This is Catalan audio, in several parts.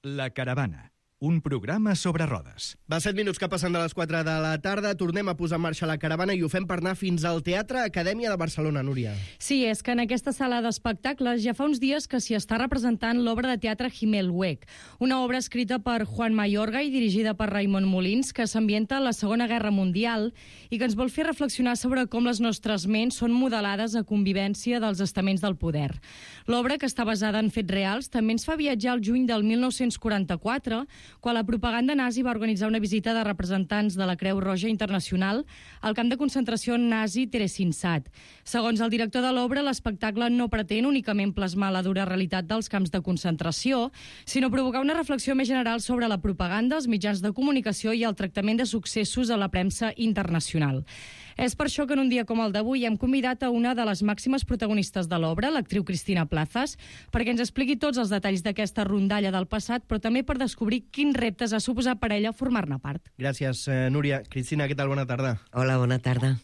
La Caravana, un programa sobre rodes. Va 7 minuts que passen de les 4 de la tarda. Tornem a posar en marxa la caravana i ho fem per anar fins al Teatre Acadèmia de Barcelona, Núria. Sí, és que en aquesta sala d'espectacles ja fa uns dies que s'hi està representant l'obra de teatre Himmelweg, una obra escrita per Juan Mayorga i dirigida per Raimon Molins, que s'ambienta a la Segona Guerra Mundial i que ens vol fer reflexionar sobre com les nostres ments són modelades a convivència dels estaments del poder. L'obra, que està basada en fets reals, també ens fa viatjar al juny del 1944, quan la propaganda nazi va organitzar una visita de representants de la Creu Roja Internacional al camp de concentració nazi Theresienstadt. Segons el director de l'obra, l'espectacle no pretén únicament plasmar la dura realitat dels camps de concentració, sinó provocar una reflexió més general sobre la propaganda, els mitjans de comunicació i el tractament de successos a la premsa internacional. És per això que en un dia com el d'avui hem convidat a una de les màximes protagonistes de l'obra, l'actriu Cristina Plazas, perquè ens expliqui tots els detalls d'aquesta rondalla del passat, però també per descobrir quins reptes ha suposat per ella formar-ne part. Gràcies, Núria. Cristina, què tal? Bona tarda. Hola, bona tarda.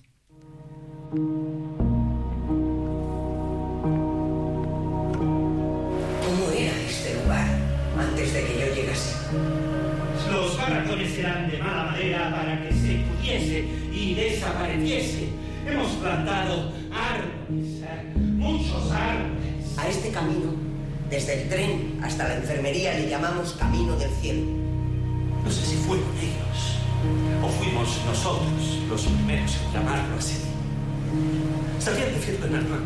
¿Cómo era este lugar antes de que yo llegase? Los barracones serán de mala madera para que se pudiese y desapareciese. Hemos plantado árboles, muchos árboles. A este camino, desde el tren hasta la enfermería, le llamamos Camino del Cielo. No sé si fueron ellos o fuimos nosotros los primeros en llamarlo así. ¿Sabían decirlo en alemán?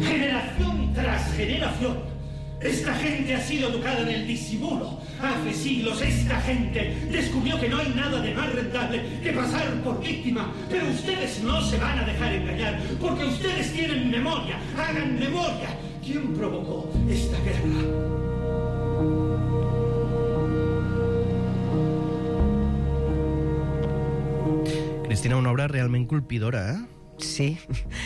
Generación tras generación, esta gente ha sido educada en el disimulo. Hace siglos esta gente descubrió que no hay nada de más rentable que pasar por víctima. Pero ustedes no se van a dejar engañar, porque ustedes tienen memoria. Hagan memoria. ¿Quién provocó esta guerra? Cristina, una obra realment colpidora, eh? Sí.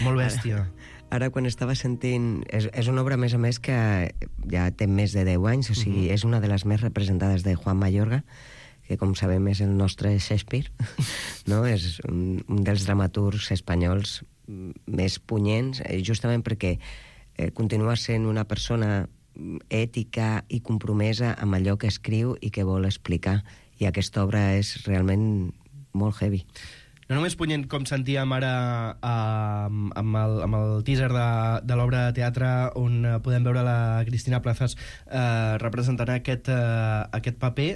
Molt bèstia. Ara, quan estava sentint... És una obra, a més, que ja té més de 10 anys, o sigui, és una de les més representades de Juan Mayorga, que, com sabem, és el nostre Shakespeare, no? És un dels dramaturgs espanyols més punyents, justament perquè continua sent una persona ètica i compromesa amb allò que escriu i que vol explicar. I aquesta obra és realment molt heavy. No només punyent, com sentíem ara amb el teaser de l'obra de teatre, on podem veure la Cristina Plazas representant aquest paper,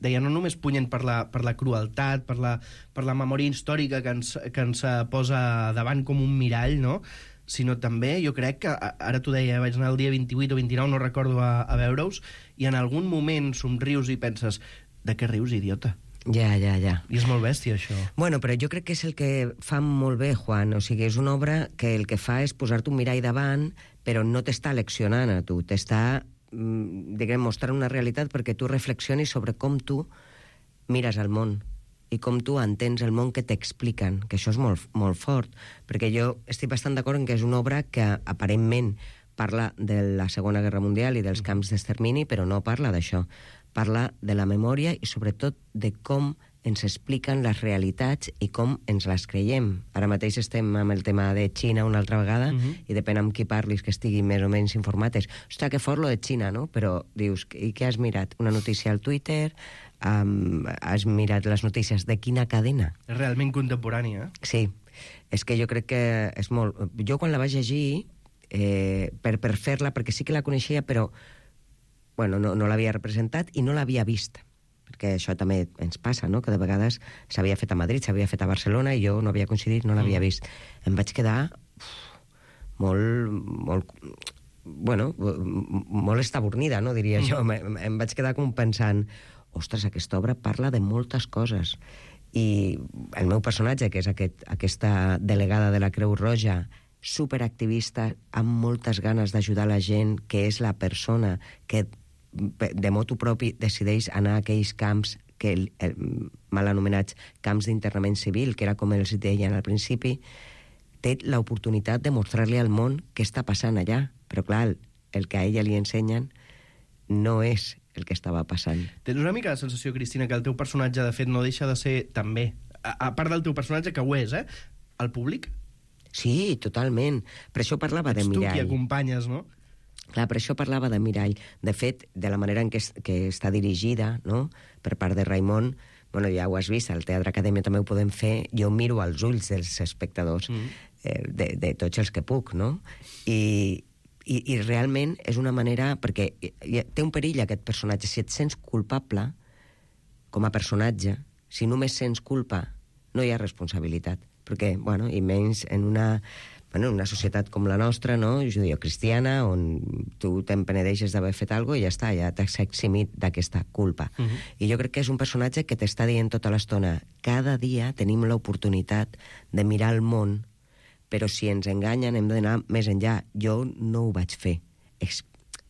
deia, no només punyent per la crueltat, per la memòria històrica que ens posa davant com un mirall, no? Sinó també, jo crec que, ara t'ho deia, vaig anar el dia 28 o 29, no recordo, a veure-us, i en algun moment somrius i penses, de què rius, idiota? Ja. I és molt bèstia, això. Bueno, però jo crec que és el que fa molt bé, Juan. O sigui, és una obra que el que fa és posar-te un mirall davant, però no t'està leccionant a tu, t'està, diguem, mostrant una realitat perquè tu reflexionis sobre com tu mires el món i com tu entens el món que t'expliquen, que això és molt, molt fort, perquè jo estic bastant d'acord en que és una obra que aparentment parla de la Segona Guerra Mundial i dels camps d'extermini, però no parla d'això. Parla de la memòria i sobretot de com ens expliquen les realitats i com ens les creiem. Ara mateix estem amb el tema de Xina una altra vegada i depèn amb qui parlis que estigui més o menys informats. Ostres, que fort lo de Xina, no? Però dius, i què has mirat? Una notícia al Twitter? Has mirat les notícies de quina cadena? És realment contemporània, eh? Sí, és que jo crec que és molt... Jo quan la vaig llegir, per fer-la, perquè sí que la coneixia, però bueno, no l'havia representat i no l'havia vist, perquè això també ens passa, no? Que de vegades s'havia fet a Madrid, s'havia fet a Barcelona i jo no havia coincidit, no l'havia vist. Em vaig quedar molt estabornida, no? Diria jo. Em vaig quedar com pensant, ostres, aquesta obra parla de moltes coses. I el meu personatge, que és aquesta delegada de la Creu Roja, superactivista, amb moltes ganes d'ajudar la gent, que és la persona que de motu propi decideix anar a aquells camps mal anomenats camps d'internament civil, que era com els deien al principi, té l'oportunitat de mostrar-li al món què està passant allà. Però clar, el que a ella li ensenyen no és el que estava passant. Tens una mica la sensació, Cristina, que el teu personatge, de fet, no deixa de ser també, a part del teu personatge, que ho és, el públic? Sí, totalment. Per això parlava de Ets tu qui mirall. acompanyes, no? Clar, per això parlava de mirall. De fet, de la manera en què està dirigida, no?, per part de Raimon, bueno, ja ho has vist, al Teatre Acadèmia també ho podem fer, jo miro als ulls dels espectadors, de tots els que puc, no? I realment és una manera... Perquè té un perill aquest personatge. Si et sents culpable com a personatge, si només sents culpa, no hi ha responsabilitat. Perquè, bueno, i menys en una societat com la nostra, no?, judeocristiana, on tu te'n penedeixes d'haver fet alguna cosa i ja està, ja t'has eximit d'aquesta culpa. I jo crec que és un personatge que t'està dient tota l'estona, cada dia tenim l'oportunitat de mirar el món, però si ens enganyen hem d'anar més enllà. Jo no ho vaig fer,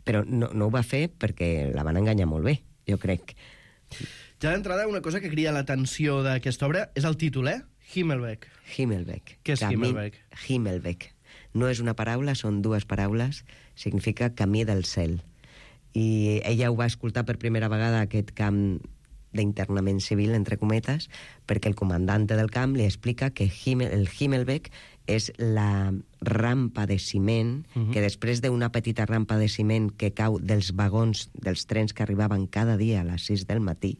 però no ho va fer perquè la van enganyar molt bé, jo crec. Ja d'entrada, una cosa que crida l'atenció d'aquesta obra és el títol, Himmelweg. Himmelweg. Què és Himmelweg? Himmelweg. No és una paraula, són dues paraules. Significa camí del cel. I ella ho va escoltar per primera vegada, aquest camp d'internament civil, entre cometes, perquè el comandante del camp li explica que el Himmelweg és la rampa de ciment, que després d'una petita rampa de ciment que cau dels vagons dels trens que arribaven cada dia a les 6 del matí,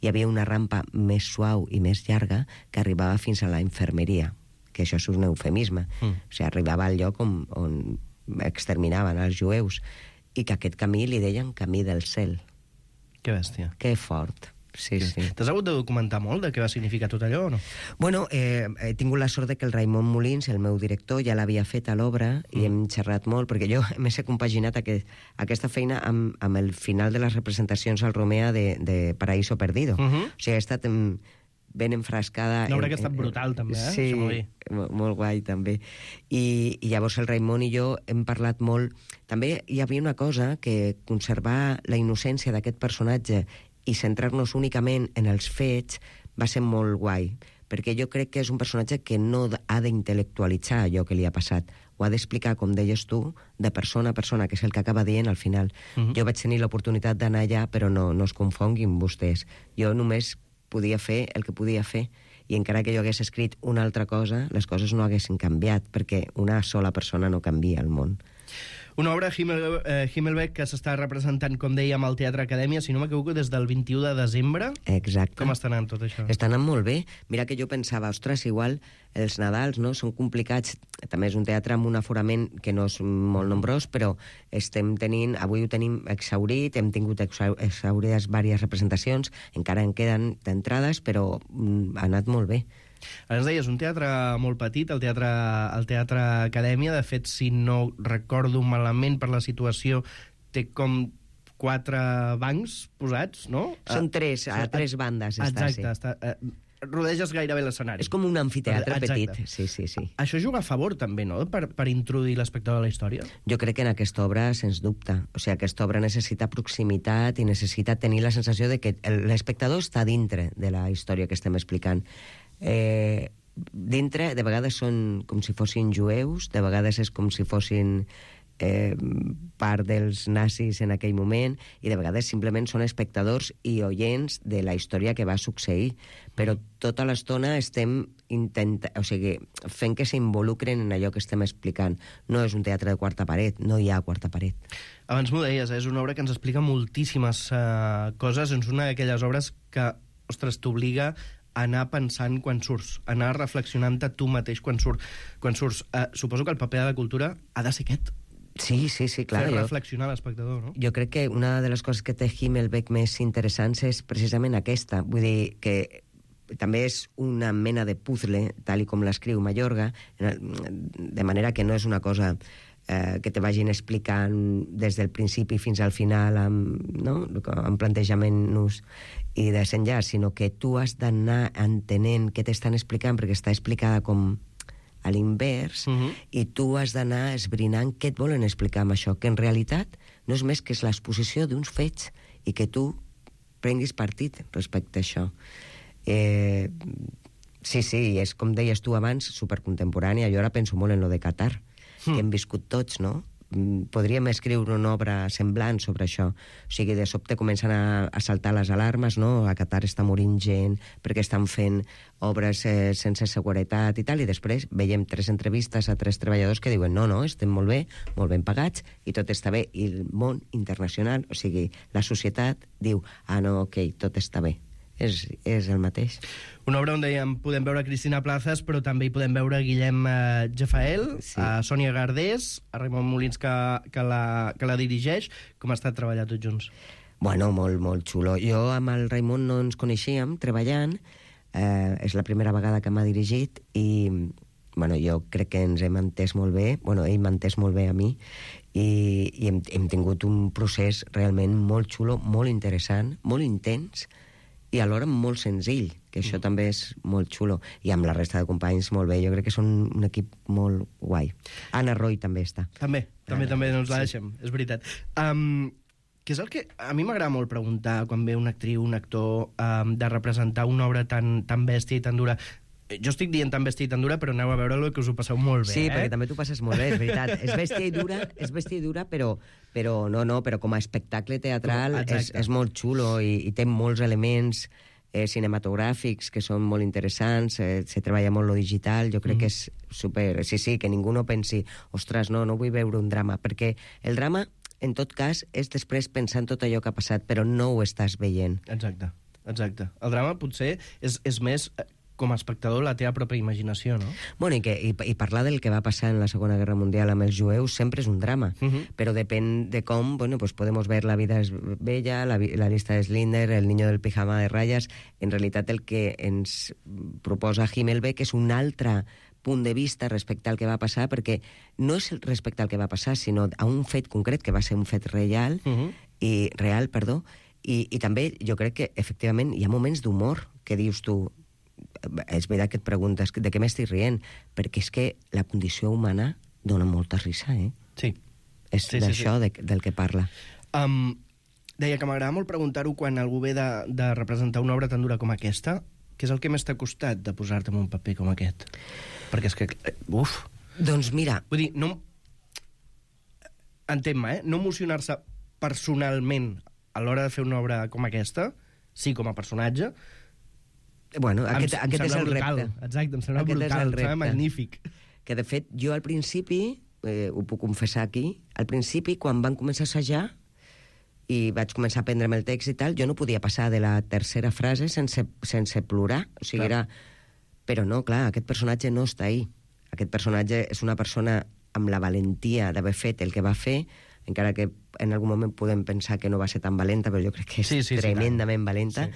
hi havia una rampa més suau i més llarga que arribava fins a la infermeria, que això és un eufemisme. O sigui, arribava al lloc on exterminaven els jueus, i que aquest camí li deien camí del cel. Que bèstia. Que fort. Sí, sí. T'has hagut de documentar molt de què va significar tot allò o no? Bueno, he tingut la sort de que el Raimon Molins, el meu director, ja l'havia fet a l'obra i hem xerrat molt, perquè jo m'he compaginat aquesta feina amb el final de les representacions al Romea de Paraíso Perdido. O sigui, he estat ben enfrascada... Una obra que ha estat brutal, també, Sí, molt guai, també. I llavors el Raimon i jo hem parlat molt... També hi havia una cosa, que conservar la innocència d'aquest personatge i centrar-nos únicament en els fets va ser molt guai, perquè jo crec que és un personatge que no ha d'intel·lectualitzar allò que li ha passat. Ho ha d'explicar, com deies tu, de persona a persona, que és el que acaba dient al final. Jo vaig tenir l'oportunitat d'anar allà, però no es confonguin vostès. Jo només podia fer el que podia fer, i encara que jo hagués escrit una altra cosa, les coses no haguessin canviat, perquè una sola persona no canvia el món. Una obra, Himmelweg, que s'està representant, com dèiem, al Teatre Acadèmia, si no m'equivoco, des del 21 de desembre. Exacte. Com està anant tot això? Està anant molt bé. Mira que jo pensava, ostres, igual els Nadals, no?, són complicats. També és un teatre amb un aforament que no és molt nombrós, però avui ho tenim exhaurit, hem tingut exhaurides diverses representacions, encara en queden d'entrades, però ha anat molt bé. Ara ens deies, un teatre molt petit, el teatre Acadèmia. De fet, si no recordo malament per la situació, té com 4 bancs posats, no? Són 3, a 3 bandes. Exacte, rodeges gairebé l'escenari. És com un amfiteatre Exacte. petit. Sí. Això juga a favor, també, no?, per introduir l'espectador a la història? Jo crec que en aquesta obra, sens dubte. O sigui, aquesta obra necessita proximitat i necessita tenir la sensació de que l'espectador està dintre de la història que estem explicant. Dintre, de vegades són com si fossin jueus, de vegades és com si fossin part dels nazis en aquell moment, i de vegades simplement són espectadors i oients de la història que va succeir, però tota l'estona estem fent que s'involucren en allò que estem explicant. No és un teatre de quarta paret, no hi ha quarta paret. Abans m'ho deies, és una obra que ens explica moltíssimes coses, és una d'aquelles obres que, ostres, t'obliga anar pensant quan surts, anar reflexionant-te tu mateix quan surts. Suposo que el paper de la cultura ha de ser aquest. Sí, clar. Fer reflexionar l'espectador, no? Jo crec que una de les coses que té Himmelweg més interessants és precisament aquesta. Vull dir que també és una mena de puzzle, tal i com l'escriu Mayorga, de manera que no és una cosa que te vagin explicant des del principi fins al final amb plantejament-nos i desenllaç, sinó que tu has d'anar entenent què t'estan explicant, perquè està explicada com a l'invers, i tu has d'anar esbrinant què et volen explicar amb això, que en realitat no és més que és l'exposició d'uns fets i que tu prenguis partit respecte a això. Sí, és com deies tu abans, supercontemporània. Jo ara penso molt en lo de Qatar, que hem viscut tots, no? podríem escriure una obra semblant sobre això. O sigui, de sobte comencen a saltar les alarmes, no? A Qatar està morint gent perquè estan fent obres sense seguretat i tal, i després veiem 3 entrevistes a 3 treballadors que diuen no, estem molt ben pagats i tot està bé. I el món internacional, o sigui, la societat diu, no, ok, tot està bé. És el mateix. Una obra on dèiem, podem veure Cristina Plazas, però també hi podem veure Guillem Jafael, Sí. a Sònia Gardés, a Raimon Molins, que la dirigeix. Com ha estat treballar tots junts? Bueno, molt, molt xulo. Jo amb el Raimon no ens coneixíem treballant, és la primera vegada que m'ha dirigit i bueno, jo crec que ens hem entès molt bé, bueno, ell m'ha entès molt bé a mi i hem tingut un procés realment molt xulo, molt interessant, molt intens i alhora molt senzill, que això també és molt xulo. I amb la resta de companys molt bé. Jo crec que són un equip molt guai. Anna Roy també està. També no ens la deixem, és veritat. Que és el que a mi m'agrada molt preguntar quan ve una actriu, un actor, de representar una obra tan bèstia i tan dura. Jo estic dient tan bèstia i tan dura, però aneu a veure-lo, que us ho passeu molt bé. Sí, perquè també t'ho passes molt bé, és veritat. És bèstia i dura, però com a espectacle teatral és molt xulo i té molts elements cinematogràfics que són molt interessants, se treballa molt lo digital, jo crec que és super... Sí, que ningú no pensi, ostres, no vull veure un drama, perquè el drama, en tot cas, és després pensar en tot allò que ha passat, però no ho estàs veient. Exacte. El drama potser és més... com a espectador, la teva pròpia imaginació, no? Bueno, i parlar del que va passar en la Segona Guerra Mundial amb els jueus sempre és un drama, però depèn de com, bueno, pues podemos ver La vida es bella, la lista de Schindler, El niño del pijama de ratlles. En realitat el que ens proposa Himmelbeck és un altre punt de vista respecte al que va passar, perquè no és respecte al que va passar, sinó a un fet concret, que va ser un fet real, i també jo crec que, efectivament, hi ha moments d'humor que dius tu, és veritat que et preguntes de què m'estic rient, perquè és que la condició humana dona molta risa, Sí. És d'això del que parla. Deia que m'agrada molt preguntar-ho quan algú ve de representar una obra tan dura com aquesta, què és el que més t'ha costat de posar-te en un paper com aquest? Perquè és que... Doncs mira... Vull dir, no... Entén-me, no emocionar-se personalment a l'hora de fer una obra com aquesta, sí, com a personatge... Bueno, aquest és el repte. Exacte, em sembla brutal, em sembla magnífic. Que, de fet, jo al principi, ho puc confessar aquí, al principi, quan van començar a assajar i vaig començar a aprendre'm el text i tal, jo no podia passar de la tercera frase sense plorar. O sigui, era... Però no, clar, aquest personatge no està ahí. Aquest personatge és una persona amb la valentia d'haver fet el que va fer, encara que en algun moment podem pensar que no va ser tan valenta, però jo crec que és tremendament valenta,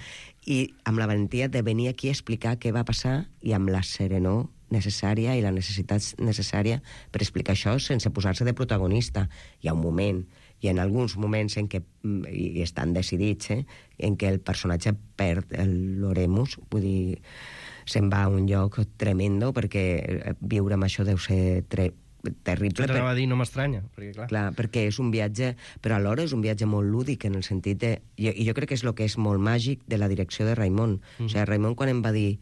i amb la valentia de venir aquí a explicar què va passar i amb la serenor necessària i la necessitat necessària per explicar això sense posar-se de protagonista. Hi ha un moment, i en alguns moments en què, i estan decidits, en què el personatge perd l'oremus, vull dir, se'n va a un lloc tremendo, perquè viure amb això deu ser terrible. Això t'anava a dir, no m'estranya, perquè clar... Clar, perquè és un viatge, però alhora és un viatge molt lúdic, en el sentit de... I jo crec que és el que és molt màgic de la direcció de Raimon. O sigui, Raimon, quan em va dir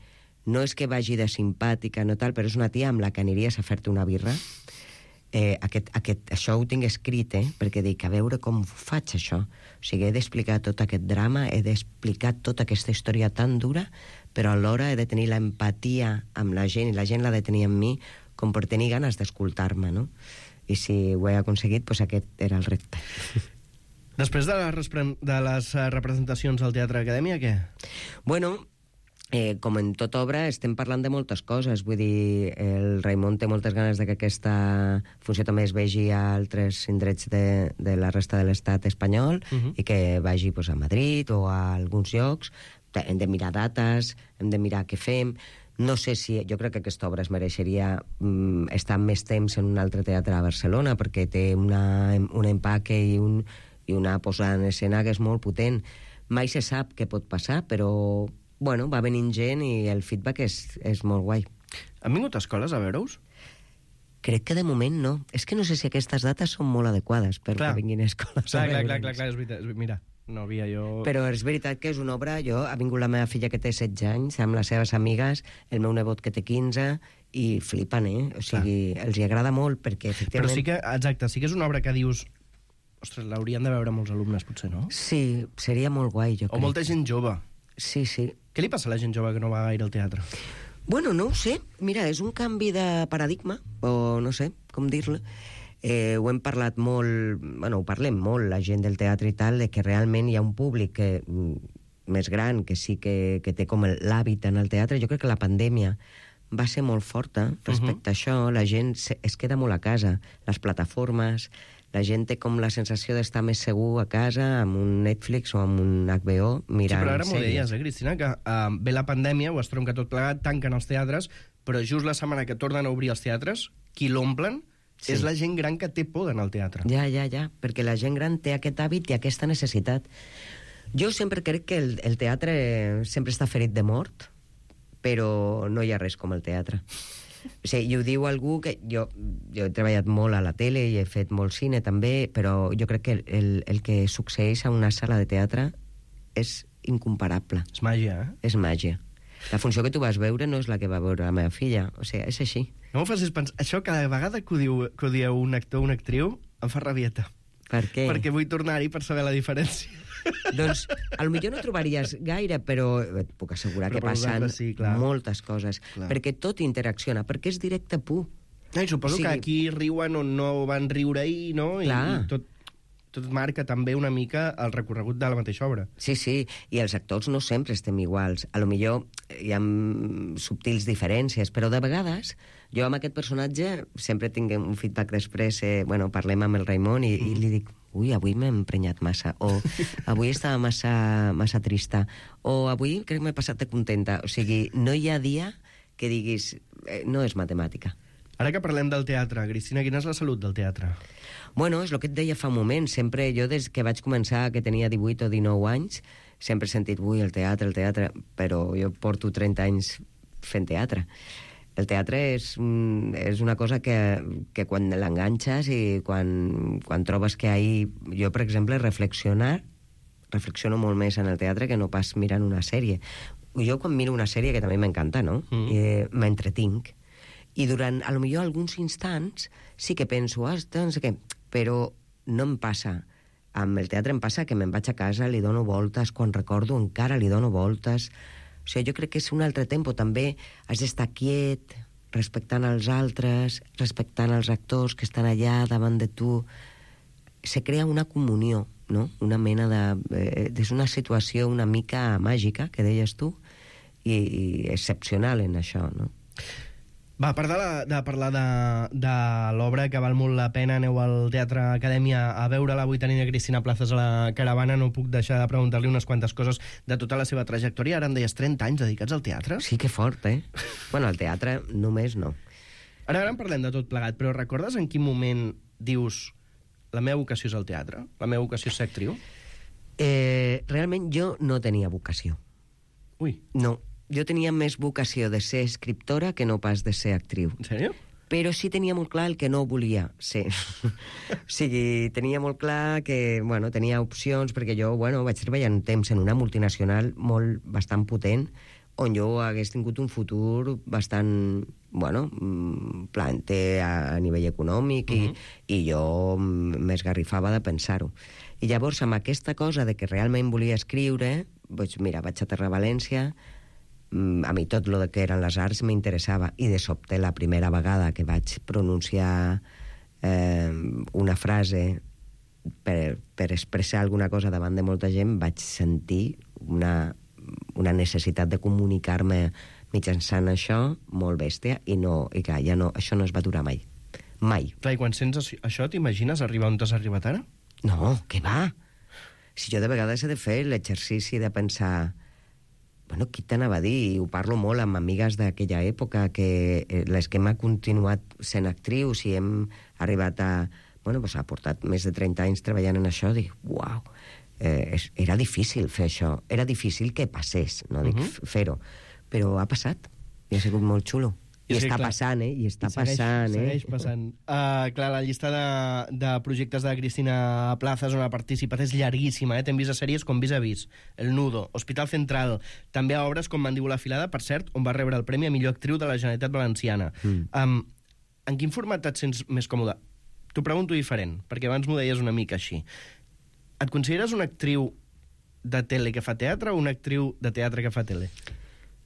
no és que vagi de simpàtica, no tal, però és una tia amb la que aniries a fer-te una birra, això ho tinc escrit, perquè dic, a veure com faig això. O sigui, he d'explicar tot aquest drama, he d'explicar tota aquesta història tan dura, però alhora he de tenir l'empatia amb la gent, i la gent l'ha de tenir amb mi, com per tenir ganes d'escoltar-me, no? I si ho he aconseguit, doncs aquest era el repte. Després de les representacions al Teatre Acadèmia, què? Bueno, com en tota obra, estem parlant de moltes coses. Vull dir, el Raimon té moltes ganes de que aquesta funció també es vegi a altres indrets de la resta de l'estat espanyol i que vagi pues, a Madrid o a alguns llocs. Hem de mirar dates, hem de mirar què fem. No sé si... Jo crec que aquesta obra es mereixeria estar més temps en un altre teatre a Barcelona, perquè té un empaque i una posada en escena que és molt potent. Mai se sap què pot passar, però bueno, va venint gent i el feedback és molt guai. Han vingut escoles a veure-us? Crec que de moment no. És que no sé si aquestes dates són molt adequades perquè vinguin escoles a veure'ns. Clar, és veritat. Mira, no havia jo... Però és veritat que és una obra... Ha vingut la meva filla que té 16 anys, amb les seves amigues, el meu nebot que té 15, i flipen, O sigui, els hi agrada molt perquè, efectivament... Però sí que, exacte, sí que és una obra que dius... Ostres, l'haurien de veure molts alumnes, potser, no? Sí, seria molt guai, jo crec. O molta gent jove. Sí, sí. Què li passa a la gent jove que no va gaire al teatre? Bueno, no ho sé. Mira, és un canvi de paradigma, o no sé com dir-lo. Ho hem parlat molt... Bueno, ho parlem molt, la gent del teatre i tal, de que realment hi ha un públic més gran que sí que té com l'hàbit en el teatre. Jo crec que la pandèmia va ser molt forta respecte a això. La gent es queda molt a casa. Les plataformes... La gent té com la sensació d'estar més segur a casa amb un Netflix o amb un HBO mirant Sí, però ara m'ho sèries. deies, Cristina, que ve la pandèmia, ho estronca tot plegat, tanquen els teatres, però just la setmana que tornen a obrir els teatres, qui l'omplen és la gent gran que té por d'anar al teatre. Ja, perquè la gent gran té aquest hàbit i aquesta necessitat. Jo sempre crec que el teatre sempre està ferit de mort, però no hi ha res com el teatre. O sigui, i ho diu algú que... Jo he treballat molt a la tele i he fet molt cine també, però jo crec que el que succeeix a una sala de teatre és incomparable. És màgia, És màgia. La funció que tu vas veure no és la que va veure la meva filla. O sigui, és així. No m'ho facis pensar... Això cada vegada que ho diu un actor o una actriu em fa rabieta. Per què? Perquè vull tornar-hi per saber la diferència. Doncs, potser no trobaries gaire, però et puc assegurar que Però per passen vosaltres sí, clar. moltes coses. Clar. Perquè tot interacciona, perquè és directe pur. I suposo O sigui- que aquí riuen o no van riure ahir, no? Clar. I tot marca també una mica el recorregut de la mateixa obra. Sí, i els actors no sempre estem iguals. A lo millor hi ha subtils diferències, però de vegades jo amb aquest personatge sempre tinc un feedback després, parlem amb el Raimon i li dic, ui, avui m'he emprenyat massa, o avui estava massa trista, o avui crec que m'he passat de contenta. O sigui, no hi ha dia que diguis, no és matemàtica. Ara que parlem del teatre, Cristina, quina és la salut del teatre? Bueno, és el que et deia fa un moment. Sempre, jo des que vaig començar, que tenia 18 o 19 anys, sempre he sentit, ui, el teatre, però jo porto 30 anys fent teatre. El teatre és una cosa que quan l'enganxes i quan trobes que ahir... Jo, per exemple, reflexiono molt més en el teatre que no pas mirant una sèrie. Jo quan miro una sèrie, que també m'encanta, no? M'entretinc. I durant, a lo millor, alguns instants sí que penso, no sé què, però no em passa. Amb el teatre em passa que me'n vaig a casa, li dono voltes, quan recordo encara li dono voltes. O sigui, jo crec que és un altre tempo. També has d'estar quiet, respectant els altres, respectant els actors que estan allà davant de tu. Se crea una comunió, no? Una mena de... és una situació una mica màgica, que deies tu, i excepcional en això, no? Va, per de parlar de l'obra que val molt la pena, aneu al Teatre Acadèmia a veure-la. Avui tenim a Cristina Plazas a la caravana, no puc deixar de preguntar-li unes quantes coses de tota la seva trajectòria. Ara em deies 30 anys dedicats al teatre? Sí que fort, Bueno, al teatre només no. Ara en parlem de tot plegat, però recordes en quin moment dius la meva vocació és el teatre? La meva vocació és ser actriu? Realment jo no tenia vocació. Ui, No, jo tenia més vocació de ser escriptora que no pas de ser actriu. en sèrio? Però sí tenia molt clar el que no volia ser. O sigui, tenia molt clar que, bueno, tenia opcions, perquè jo, bueno, vaig treballar un temps en una multinacional bastant potent, on jo hagués tingut un futur bastant, bueno, planter a nivell econòmic, i jo m'esgarrifava de pensar-ho. I llavors, amb aquesta cosa de que realment volia escriure, doncs mira, vaig aterrar a València, a mi tot el que eren les arts m'interessava, i de sobte la primera vegada que vaig pronunciar una frase per expressar alguna cosa davant de molta gent, vaig sentir una necessitat de comunicar-me mitjançant això molt bèstia, i clar, ja no, això no es va durar mai. Mai. Clar, i quan sents això, t'imagines arribar on t'has arribat ara? No, què va? Si jo de vegades he de fer l'exercici de pensar, bueno, qui t'anava a dir? I ho parlo molt amb amigues d'aquella època, que les que hem continuat sent actrius i hem arribat a... Bueno, doncs ha portat més de 30 anys treballant en això, dic, uau, era difícil fer això, era difícil que passés, no dic fer-ho, però ha passat i ha sigut molt xulo. I està passant, I està passant, Segueix passant. Clar, la llista de projectes de Cristina Plazas on ha participat és llarguíssima, T'hem vist a sèries com Vis a Vis, El Nudo, Hospital Central, també a obres com Mandíbula Afilada, per cert, on va rebre el Premi a Millor Actriu de la Generalitat Valenciana. En quin format et sents més còmode? T'ho pregunto diferent, perquè abans m'ho deies una mica així. Et consideres una actriu de tele que fa teatre o una actriu de teatre que fa tele?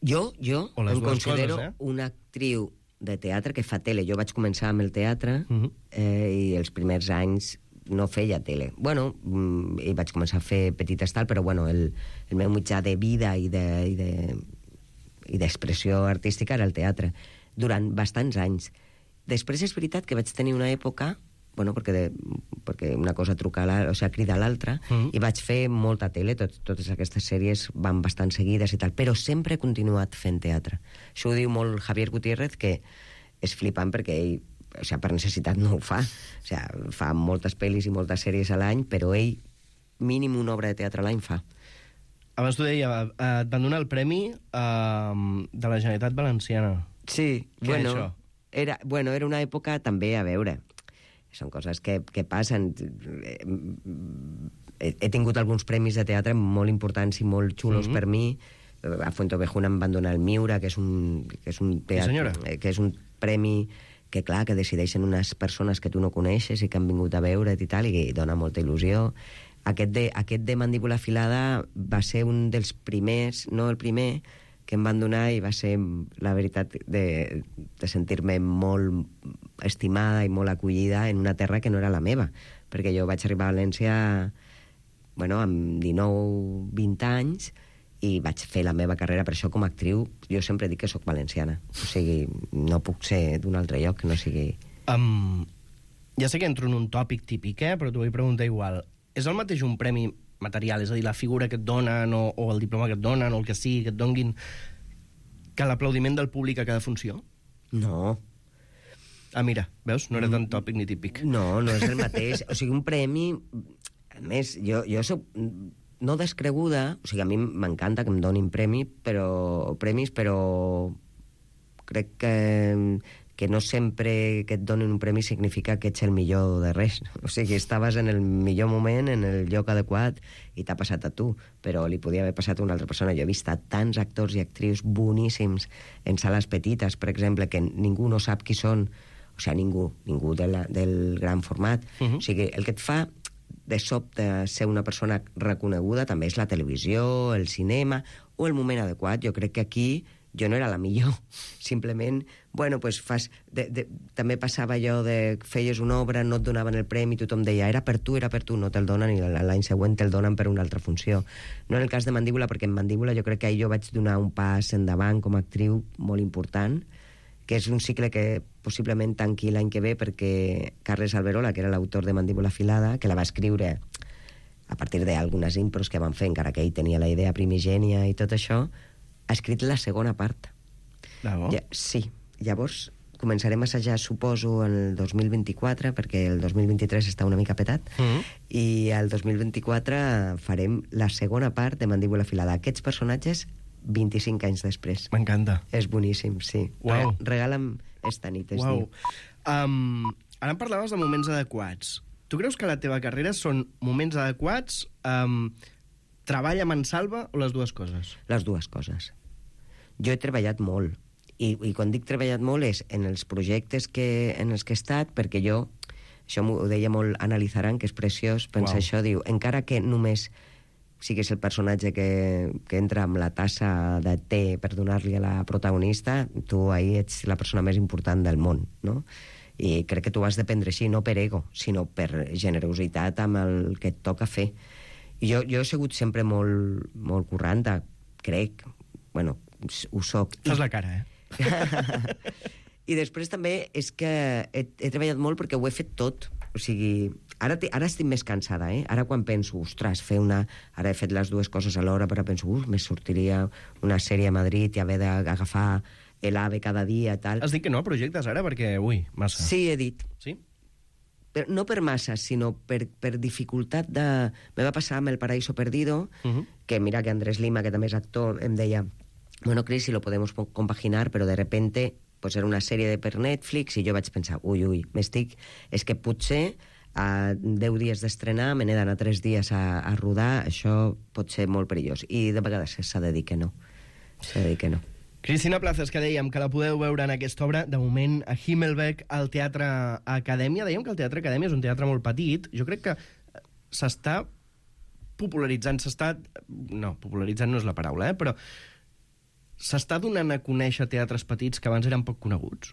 Jo em considero coses, una actriu de teatre que fa tele. Jo vaig començar amb el teatre i els primers anys no feia tele. Bueno, i vaig començar a fer petites tal, però bueno, el meu mitjà de vida i d'expressió artística era el teatre, durant bastants anys. Després és veritat que vaig tenir una època, bueno, perquè una cosa crida a l'altra, i vaig fer molta tele, totes aquestes sèries van bastant seguides i tal, però sempre he continuat fent teatre. Això ho diu molt Javier Gutiérrez, que és flipant perquè ell, per necessitat no ho fa. Fa moltes pel·lis i moltes sèries a l'any, però ell mínim una obra de teatre a l'any fa. Abans t'ho deia, et van donar el Premi de la Generalitat Valenciana. Sí, era era una època també, a veure, són coses que passen. He tingut alguns premis de teatre molt importants i molt xulos per mi. A Fuentovejuna em van donar el Miura, que és un premi que, clar, que decideixen unes persones que tu no coneixes i que han vingut a veure't i tal, i dona molta il·lusió. Aquest de Mandíbula Afilada va ser un dels primers, no el primer, que em van donar, i va ser, la veritat, de sentir-me molt estimada i molt acollida en una terra que no era la meva, perquè jo vaig arribar a València amb 19-20 anys i vaig fer la meva carrera. Per això, com a actriu, jo sempre dic que sóc valenciana. O sigui, no puc ser d'un altre lloc que no sigui... Ja sé que entro en un tòpic típic, però t'ho vull preguntar igual. És el mateix un premi material, és a dir, la figura que et donen o el diploma que et donen o el que sigui que et donguin, que l'aplaudiment del públic a cada funció? No. Mira, veus? No era tan tòpic ni típic. No és el mateix. O sigui, un premi... A més, jo soc no descreguda, o sigui, a mi m'encanta que em donin premis, però crec que no sempre que et donin un premi significa que ets el millor de res. O sigui, estaves en el millor moment, en el lloc adequat, i t'ha passat a tu, però li podia haver passat a una altra persona. Jo he vist tants actors i actrius boníssims en sales petites, per exemple, que ningú no sap qui són, o sigui, ningú del gran format. O sigui, el que et fa de sobte ser una persona reconeguda també és la televisió, el cinema, o el moment adequat. Jo crec que aquí jo no era la millor, simplement, també passava allò de feies una obra, no et donaven el premi, tothom deia, era per tu, no te'l donen, i l'any següent te'l donen per una altra funció. No en el cas de Mandíbula, perquè en Mandíbula jo crec que jo vaig donar un pas endavant com a actriu molt important, que és un cicle que possiblement tanqui l'any que ve, perquè Carles Alberola, que era l'autor de Mandíbula Afilada, que la va escriure a partir d'algunes impros que van fer, encara que ell tenia la idea primigènia i tot això, ha escrit la segona part. Sí. Llavors començarem a assajar, suposo, en el 2024, perquè el 2023 està una mica petat, i el 2024 farem la segona part de Mandíbula Afilada. Aquests personatges 25 anys després. M'encanta. És boníssim, sí. Uau. Regala'm esta nit, es Uau. diu. Ara em parlaves de moments adequats. Tu creus que la teva carrera són moments adequats, treball a mansalva o les dues coses? Les dues coses. Jo he treballat molt, i quan dic treballat molt és en els projectes en els que he estat, perquè jo, això m'ho deia molt Analizaran, que és preciós, pensa això, diu, encara que només siguis el personatge que entra amb la tassa de té per donar-li a la protagonista, tu ahí ets la persona més important del món, no? I crec que tu has de prendre així, no per ego, sinó per generositat amb el que et toca fer. I jo he sigut sempre molt, molt curranta, crec, ho soc. Fas la cara, I després també és que he treballat molt perquè ho he fet tot. O sigui, ara estic més cansada, Ara quan penso, ostres, ara he fet les dues coses alhora, però penso, me sortiria una sèrie a Madrid i haver d'agafar l'AVE cada dia, tal. Has dit que no a projectes ara, perquè, massa. Sí, he dit. Sí? Però no per massa, sinó per dificultat de... Me va passar amb El Paraíso Perdido, que mira que Andrés Lima, que també és actor, em deia, bueno, Cris, si lo podemos compaginar, pero de repente pues era una sèrie per Netflix, i jo vaig pensar, ui, és que potser a 10 dies d'estrenar me n'he d'anar 3 dies a rodar, això pot ser molt perillós. I de vegades s'ha de dir que no. Cristina Plazas, que dèiem que la podeu veure en aquesta obra, de moment a Himmelbeck, al Teatre Acadèmia. Dèiem que el Teatre Acadèmia és un teatre molt petit. Jo crec que s'està popularitzant, no, popularitzant no és la paraula, però s'està donant a conèixer teatres petits que abans eren poc coneguts?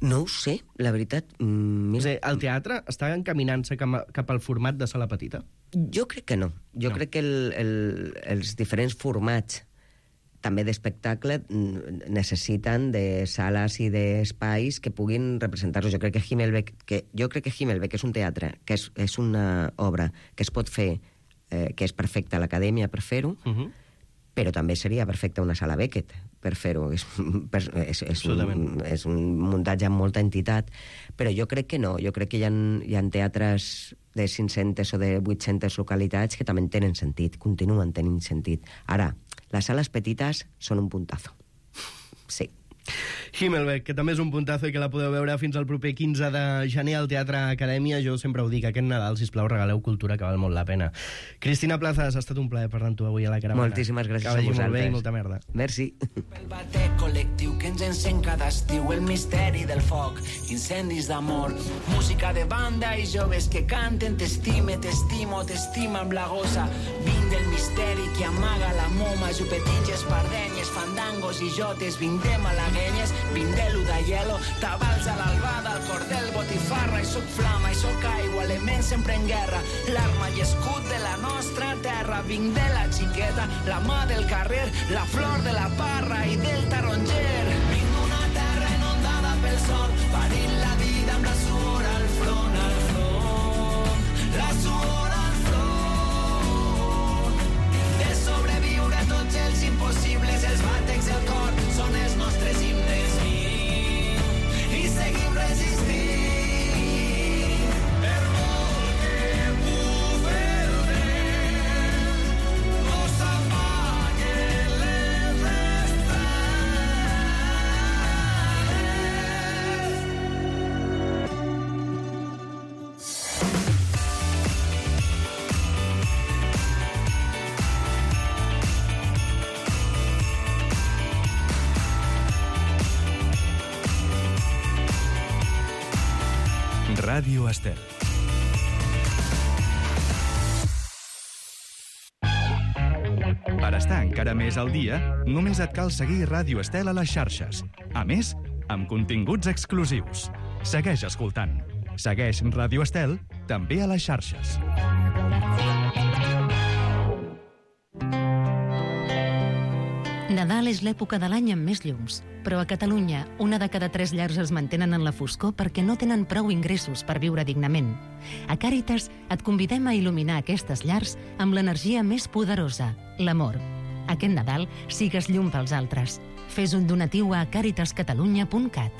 No ho sé, la veritat. És a dir, el teatre està encaminant-se cap al format de sala petita? Jo crec que no. Jo crec que els diferents formats també d'espectacle necessiten de sales i d'espais que puguin representar-los. Jo crec que Himmelbeck és un teatre, que és una obra que es pot fer, que és perfecta a l'acadèmia per fer-ho, però també seria perfecta una sala Beckett per fer-ho. És un muntatge amb molta entitat, però jo crec que no. Jo crec que hi ha teatres de 500 o de 800 localitats que també tenen sentit, continuen tenint sentit. Ara, les sales petites són un puntazo. Sí. Himmelbeck, que també és un puntazo i que la podeu veure fins al proper 15 de gener al Teatre Acadèmia. Jo sempre ho dic, aquest Nadal, sisplau, regaleu cultura, que val molt la pena. Cristina Plazas, ha estat un plaer parlar amb tu avui a la Caravana. Moltíssimes gràcies a vosaltres. Que vagi molt bé i molta merda. Merci. El batec col·lectiu que ens encén cada estiu, el misteri del foc, incendis d'amor, música de banda i joves que canten t'estime, t'estimo, t'estima amb la gossa. Vinc del misteri que amaga la moma, jupetins, espardenyes, fandangos i jotes, vinc de malaguenyes, vinc de l'Udaielo, tabals a l'albada, el cordel, botifarra, i soc flama, i soc aigua, element sempre en guerra, l'arma i escut de la nostra terra, vinc de la xiqueta, la mà del carrer, la flor de la parra i del taronger. Vinc d'una terra inundada pel sol, parint la vida amb la suor al front, la suor al front. De sobreviure tots els impossibles, els batecs del cor són els nostres himnes i seguim resistint. Per molt que bufe el vent, no s'apaguen les Ràdio Estel. Per estar encara més al dia, només et cal seguir Ràdio Estel a les xarxes. A més, amb continguts exclusius. Segueix escoltant. Segueix Ràdio Estel també a les xarxes. Nadal és l'època de l'any amb més llums, però a Catalunya una de cada 3 llars es mantenen en la foscor perquè no tenen prou ingressos per viure dignament. A Càritas et convidem a il·luminar aquestes llars amb l'energia més poderosa, l'amor. Aquest Nadal sigues llum pels altres. Fes un donatiu a caritascatalunya.cat.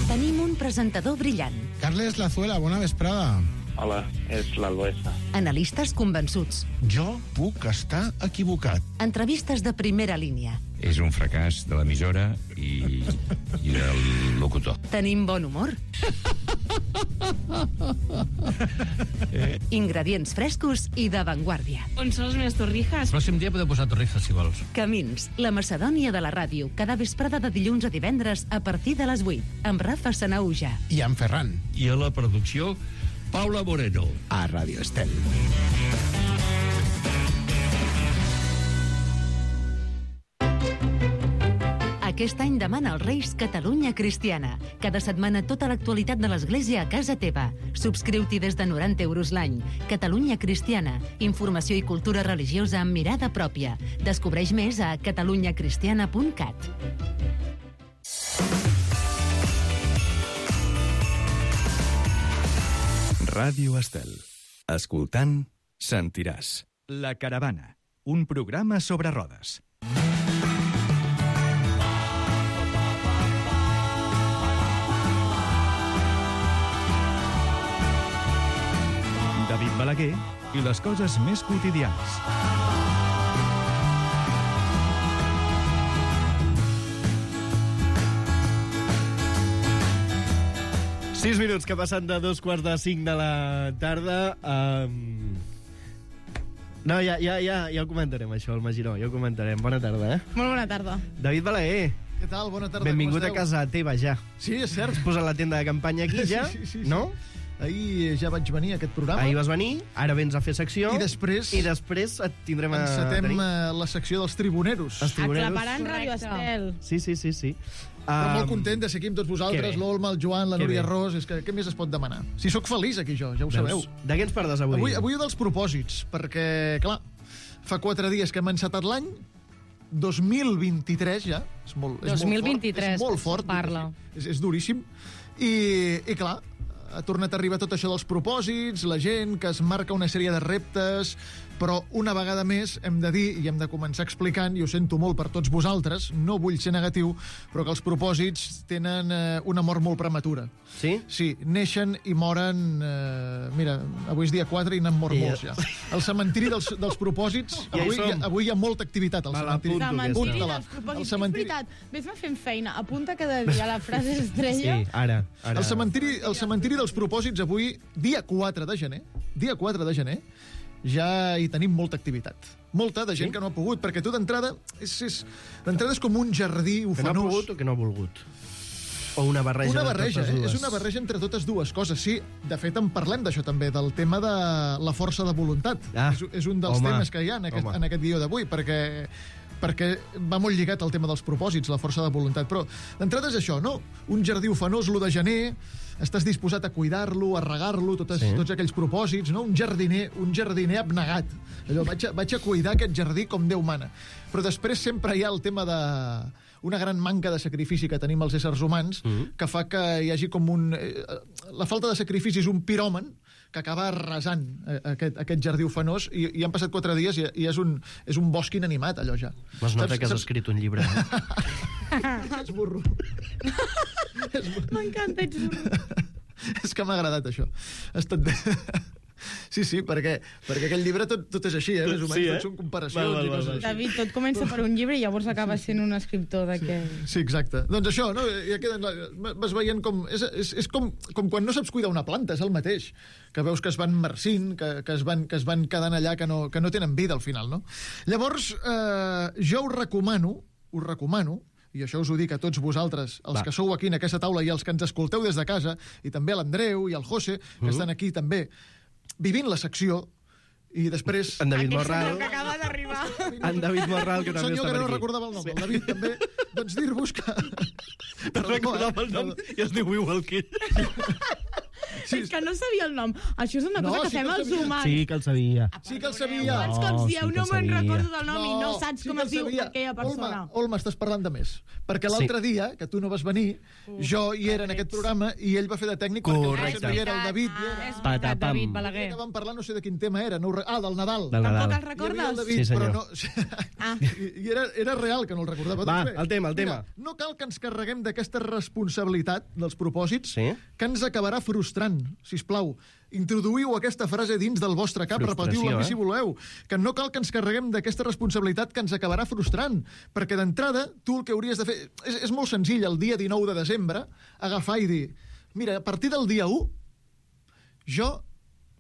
Tenim un presentador brillant. Carles Lazuela, bona vesprada. Hola, és l'Alboesa. Analistes convençuts. Jo puc estar equivocat. Entrevistes de primera línia. És un fracàs de l'emissora i del locutor. Tenim bon humor. Ingredients frescos i d'avantguàrdia. On són les meves torrijas? El pròxim dia podeu posar torrijas, si vols. Camins, la Macedònia de la ràdio, cada vesprada de dilluns a divendres a partir de les 8, amb Rafa Sanauja. I en Ferran. I a la producció, Paula Moreno. A Ràdio Estel. Aquest any demana als Reis Catalunya Cristiana. Cada setmana tota l'actualitat de l'Església a casa teva. Subscriu-t'hi des de 90 € l'any. Catalunya Cristiana. Informació i cultura religiosa amb mirada pròpia. Descobreix més a catalunyacristiana.cat. Ràdio Estel. Escoltant, sentiràs. La Caravana, un programa sobre rodes. David Balaguer i les coses més quotidianes. Sis minuts que passen de 2:45 de la tarda. No, ja ho comentarem, això, el Magiró, ja ho comentarem. Bona tarda, Molt bona tarda. David Balaguer. Què tal? Bona tarda. Benvingut a casa teva, ja. Sí, és cert. Has posat la tenda de campanya aquí, ja, sí. no? Ahir ja vaig venir a aquest programa. Ahir vas venir, ara vens a fer secció. I després et tindrem a encetem tenir. la secció dels tribuneros. Aclaparant Ràdio Estel. Sí. Però molt content de ser aquí amb tots vosaltres, l'Olma, el Joan, la Núria Ros. És que què més es pot demanar? Si sóc feliç aquí jo, ja ho sabeu. De què ens parles avui? Avui dels propòsits, perquè, clar, fa 4 dies que hem encetat l'any, 2023 ja, és molt 2023, és molt fort, parla. És duríssim, i clar, ha tornat a arribar tot això dels propòsits, la gent que es marca una sèrie de reptes, però una vegada més hem de dir, i hem de començar explicant, i ho sento molt per tots vosaltres, no vull ser negatiu, però que els propòsits tenen una mort molt prematura. Sí? Sí, neixen i moren... mira, avui és dia 4 i n'han mort molts ja. El cementiri dels propòsits, avui hi ha molta activitat al cementiri. Cementiri dels propòsits. És veritat, ves-me fent feina, apunta cada dia la frase estrella. Sí, ara. El cementiri dels propòsits avui, dia 4 de gener, ja hi tenim molta activitat. Molta de gent que no ha pogut, perquè tu d'entrada és com un jardí ufanós. Que no ha pogut o que no ha volgut? O una barreja de totes dues? És és una barreja entre totes dues coses, sí. De fet, en parlem d'això també, del tema de la força de voluntat. És un dels temes que hi ha en aquest guió d'avui, perquè va molt lligat al tema dels propòsits, la força de voluntat. Però d'entrada és això, no? Un jardí ufanós, l'1 de gener, estàs disposat a cuidar-lo, a regar-lo, tots aquells propòsits, no? Un jardiner abnegat. Allò, vaig a cuidar aquest jardí com Déu mana. Però després sempre hi ha el tema de una gran manca de sacrifici que tenim els éssers humans, que fa que hi hagi com la falta de sacrifici és un piròman que acaba arrasant aquest jardí ufanós, i han passat 4 dies i és un bosc inanimat, allò ja. M'has notat que has escrit un llibre. Ets burro. M'encanta, ets burro. És que m'ha agradat, això. Ha estat bé. Sí, perquè aquell llibre tot és així, més o menys, tot són comparacions i coses així. David, tot comença per un llibre i llavors acaba sent un escriptor d'aquest... Sí, exacte. Doncs això, no? Vas veient com... És com quan no saps cuidar una planta, és el mateix. Que veus que es van marcint, que es van quedant allà, que no tenen vida al final, no? Llavors, jo us recomano, i això us ho dic a tots vosaltres, els que sou aquí en aquesta taula i els que ens escolteu des de casa, i també a l'Andreu i al José, que estan aquí també, vivint la secció, i després... En David Morral. Que acaba d'arribar. En David Morral, que també està per aquí. Un senyor que no recordava el nom, el David també. Doncs dir-vos que... No recordava el nom i es diu igual que ell. És que no sabia el nom. Això és una cosa que fem els humans. Sí que el sabia. Sí que el sabia. Quants cops dieu, no me'n recordo del nom i no saps com es diu aquella persona. Olma, estàs parlant de més. Perquè l'altre dia, que tu no vas venir, jo hi era en aquest programa i ell va fer de tècnic perquè no hi era el David. És veritat, David Balaguer. Que vam parlar, no sé de quin tema era. Del Nadal. Tampoc el recordes? Sí, senyor. I era real que no el recordava. Va, el tema. No cal que ens carreguem d'aquesta responsabilitat dels propòsits que ens acabarà frustrant. Sisplau, introduïu aquesta frase dins del vostre cap, repetiu-la si voleu, que no cal que ens carreguem d'aquesta responsabilitat que ens acabarà frustrant, perquè d'entrada tu el que hauries de fer... És molt senzill, el dia 19 de desembre, agafar i dir, mira, a partir del dia 1 jo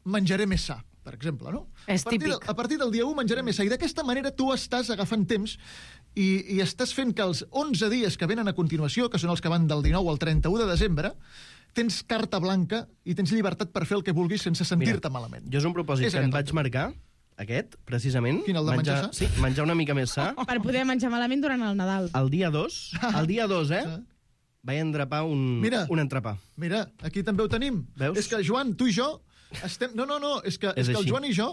menjaré més sa, per exemple, no? És típic. A partir del dia 1 menjaré més sa, i d'aquesta manera tu estàs agafant temps i estàs fent que els 11 dies que venen a continuació, que són els que van del 19 al 31 de desembre, tens carta blanca i tens llibertat per fer el que vulguis sense sentir-te malament. Jo és un propòsit que em vaig marcar, aquest, precisament. Quin, el de menjar sa? Sí, menjar una mica més sa. Per poder menjar malament durant el Nadal. El dia 2, vaig endrapar un entrepà. Mira, aquí també ho tenim. Veus? És que, Joan, tu i jo estem... No, és que el Joan i jo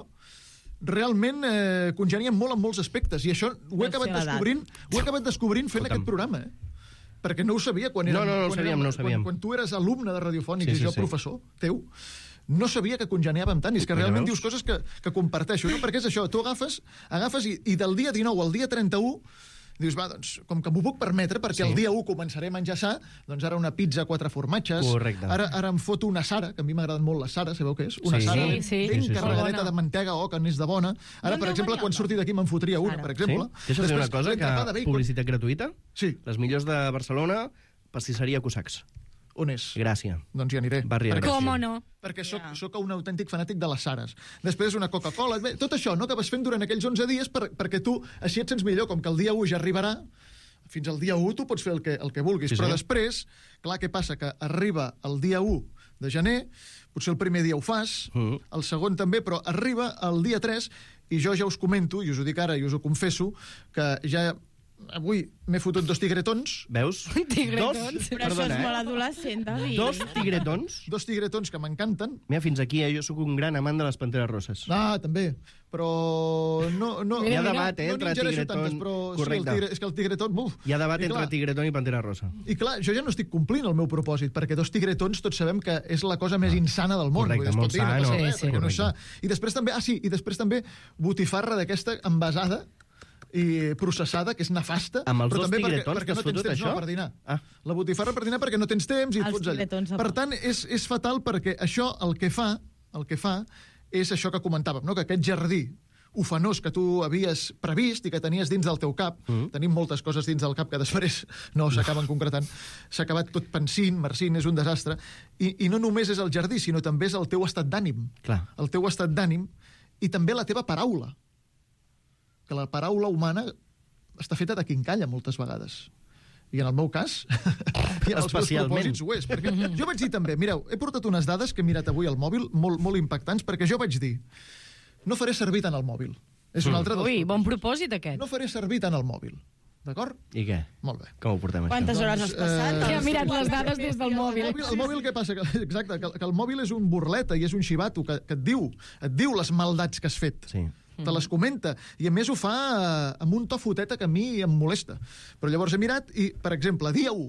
realment congeniem molt en molts aspectes, i això ho he acabat descobrint fent aquest programa, perquè no ho sabia quan érem... Quan tu eres alumne de Radiofònic i jo professor teu, no sabia que congeníàvem tant, i és que realment dius coses que comparteixo, no? Perquè és això, tu agafes i del dia 19 al dia 31 Dius, va, doncs, com que m'ho puc permetre, perquè el dia 1 començaré a menjar sa, doncs ara una pizza 4 formatges. Correcte. Ara em foto una Sara, que a mi m'agraden molt les Sara, sabeu què és? Una Sara ben carregadeta de mantega, que n'és de bona. Ara, per exemple, quan surti d'aquí me'n fotria una, per exemple. Deixa'm dir una cosa, que publicitat gratuïta? Sí. Les millors de Barcelona, pastisseria Cosacs. On és? Gràcia. Doncs hi aniré. Barri de Gràcia. Com o no? Perquè soc un autèntic fanàtic de les Sares. Després una Coca-Cola. Tot això, no?, que vas fent durant aquells 11 dies perquè tu així et sents millor, com que el dia 1 ja arribarà. Fins al dia 1 tu pots fer el que vulguis, però després, clar, què passa? Que arriba el dia 1 de gener, potser el primer dia ho fas, el segon també, però arriba el dia 3, i jo ja us comento, i us ho dic ara, i us ho confesso, que ja avui m'he fotut 2 tigretons. Veus? Tigretons? Però això és molt adolescent, David. 2 tigretons? 2 tigretons que m'encanten. Mira, fins aquí, jo sóc un gran amant de les panteres rosses. Ah, també. Però no... Hi ha debat, entre tigretón... Correcte. És que el tigretón... Hi ha debat entre tigretón i pantera rosa. I clar, jo ja no estic complint el meu propòsit, perquè 2 tigretons tots sabem que és la cosa més insana del món. Correcte, molt sano. I després també botifarra d'aquesta envasada i processada, que és nefasta. Amb els 2 tigretons que has fotut, això? No, per dinar. La botifarra per dinar perquè no tens temps i et fots allà. Per tant, és fatal perquè això el que fa és això que comentàvem, no? Que aquest jardí ufanós que tu havies previst i que tenies dins del teu cap, tenim moltes coses dins del cap que després no s'acaben concretant, s'ha acabat tot pensint, marcint, és un desastre, i no només és el jardí, sinó també és el teu estat d'ànim. El teu estat d'ànim i també la teva paraula. Que la paraula humana està feta de quincalla moltes vegades. I en el meu cas, i en els meus propòsits ho és. Perquè jo vaig dir també, mireu, he portat unes dades que he mirat avui al mòbil, molt impactants, perquè jo vaig dir, no faré servir tant el mòbil. És un altre dels propòsits. Bon propòsit, aquest. No faré servir tant el mòbil. D'acord? I què? Molt bé. Com ho portem, això? Quantes hores has passat? Que ha mirat les dades des del mòbil. El mòbil, què passa? Exacte, que el mòbil és un burleta i és un xivato que et diu les maldats que has fet. Sí. Te les comenta, i a més ho fa amb un to foteta que a mi em molesta. Però llavors he mirat i, per exemple, dia 1.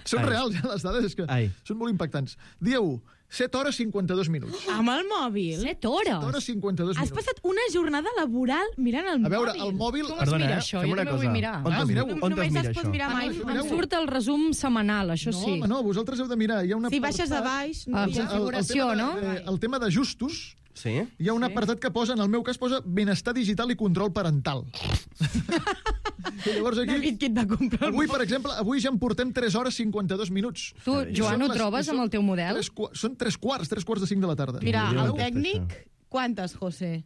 Són reals, les dades, és que són molt impactants. Dia 1, 7 hores 52 minuts. Amb el mòbil? 7 hores? 7 hores 52 minuts. Has passat una jornada laboral mirant el mòbil. A veure, el mòbil... Com es mira això? Jo també vull mirar. Només es pot mirar mai. Em surt el resum setmanal, això sí. No, vosaltres heu de mirar. Si baixes a baix... Configuració, no? El tema d'ajustos, sí? Hi ha un apartat que posa, en el meu cas, posa benestar digital i control parental. I llavors aquí... David, qui et va comprar avui, per exemple, avui ja en portem 3 hores 52 minuts. Tu, Joan, ho trobes amb el teu model? Són 3 quarts de 5 de la tarda. Mira, el tècnic, quantes, José?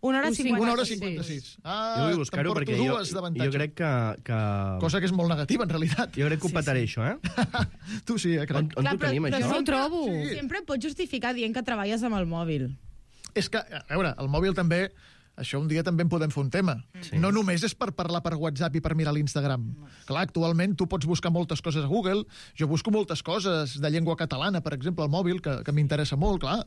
1 hora 56. 1 hora 56. Jo vull buscar-ho perquè jo crec que... Cosa que és molt negativa, en realitat. Jo crec que ho petaré, això, Tu sí, crec. On ho tenim, això? No ho trobo. Sempre pots justificar dient que treballes amb el mòbil. És que, a veure, el mòbil també... Això un dia també en podem fer un tema. No només és per parlar per WhatsApp i per mirar l'Instagram. Clar, actualment tu pots buscar moltes coses a Google. Jo busco moltes coses de llengua catalana, per exemple, al mòbil, que m'interessa molt, clar.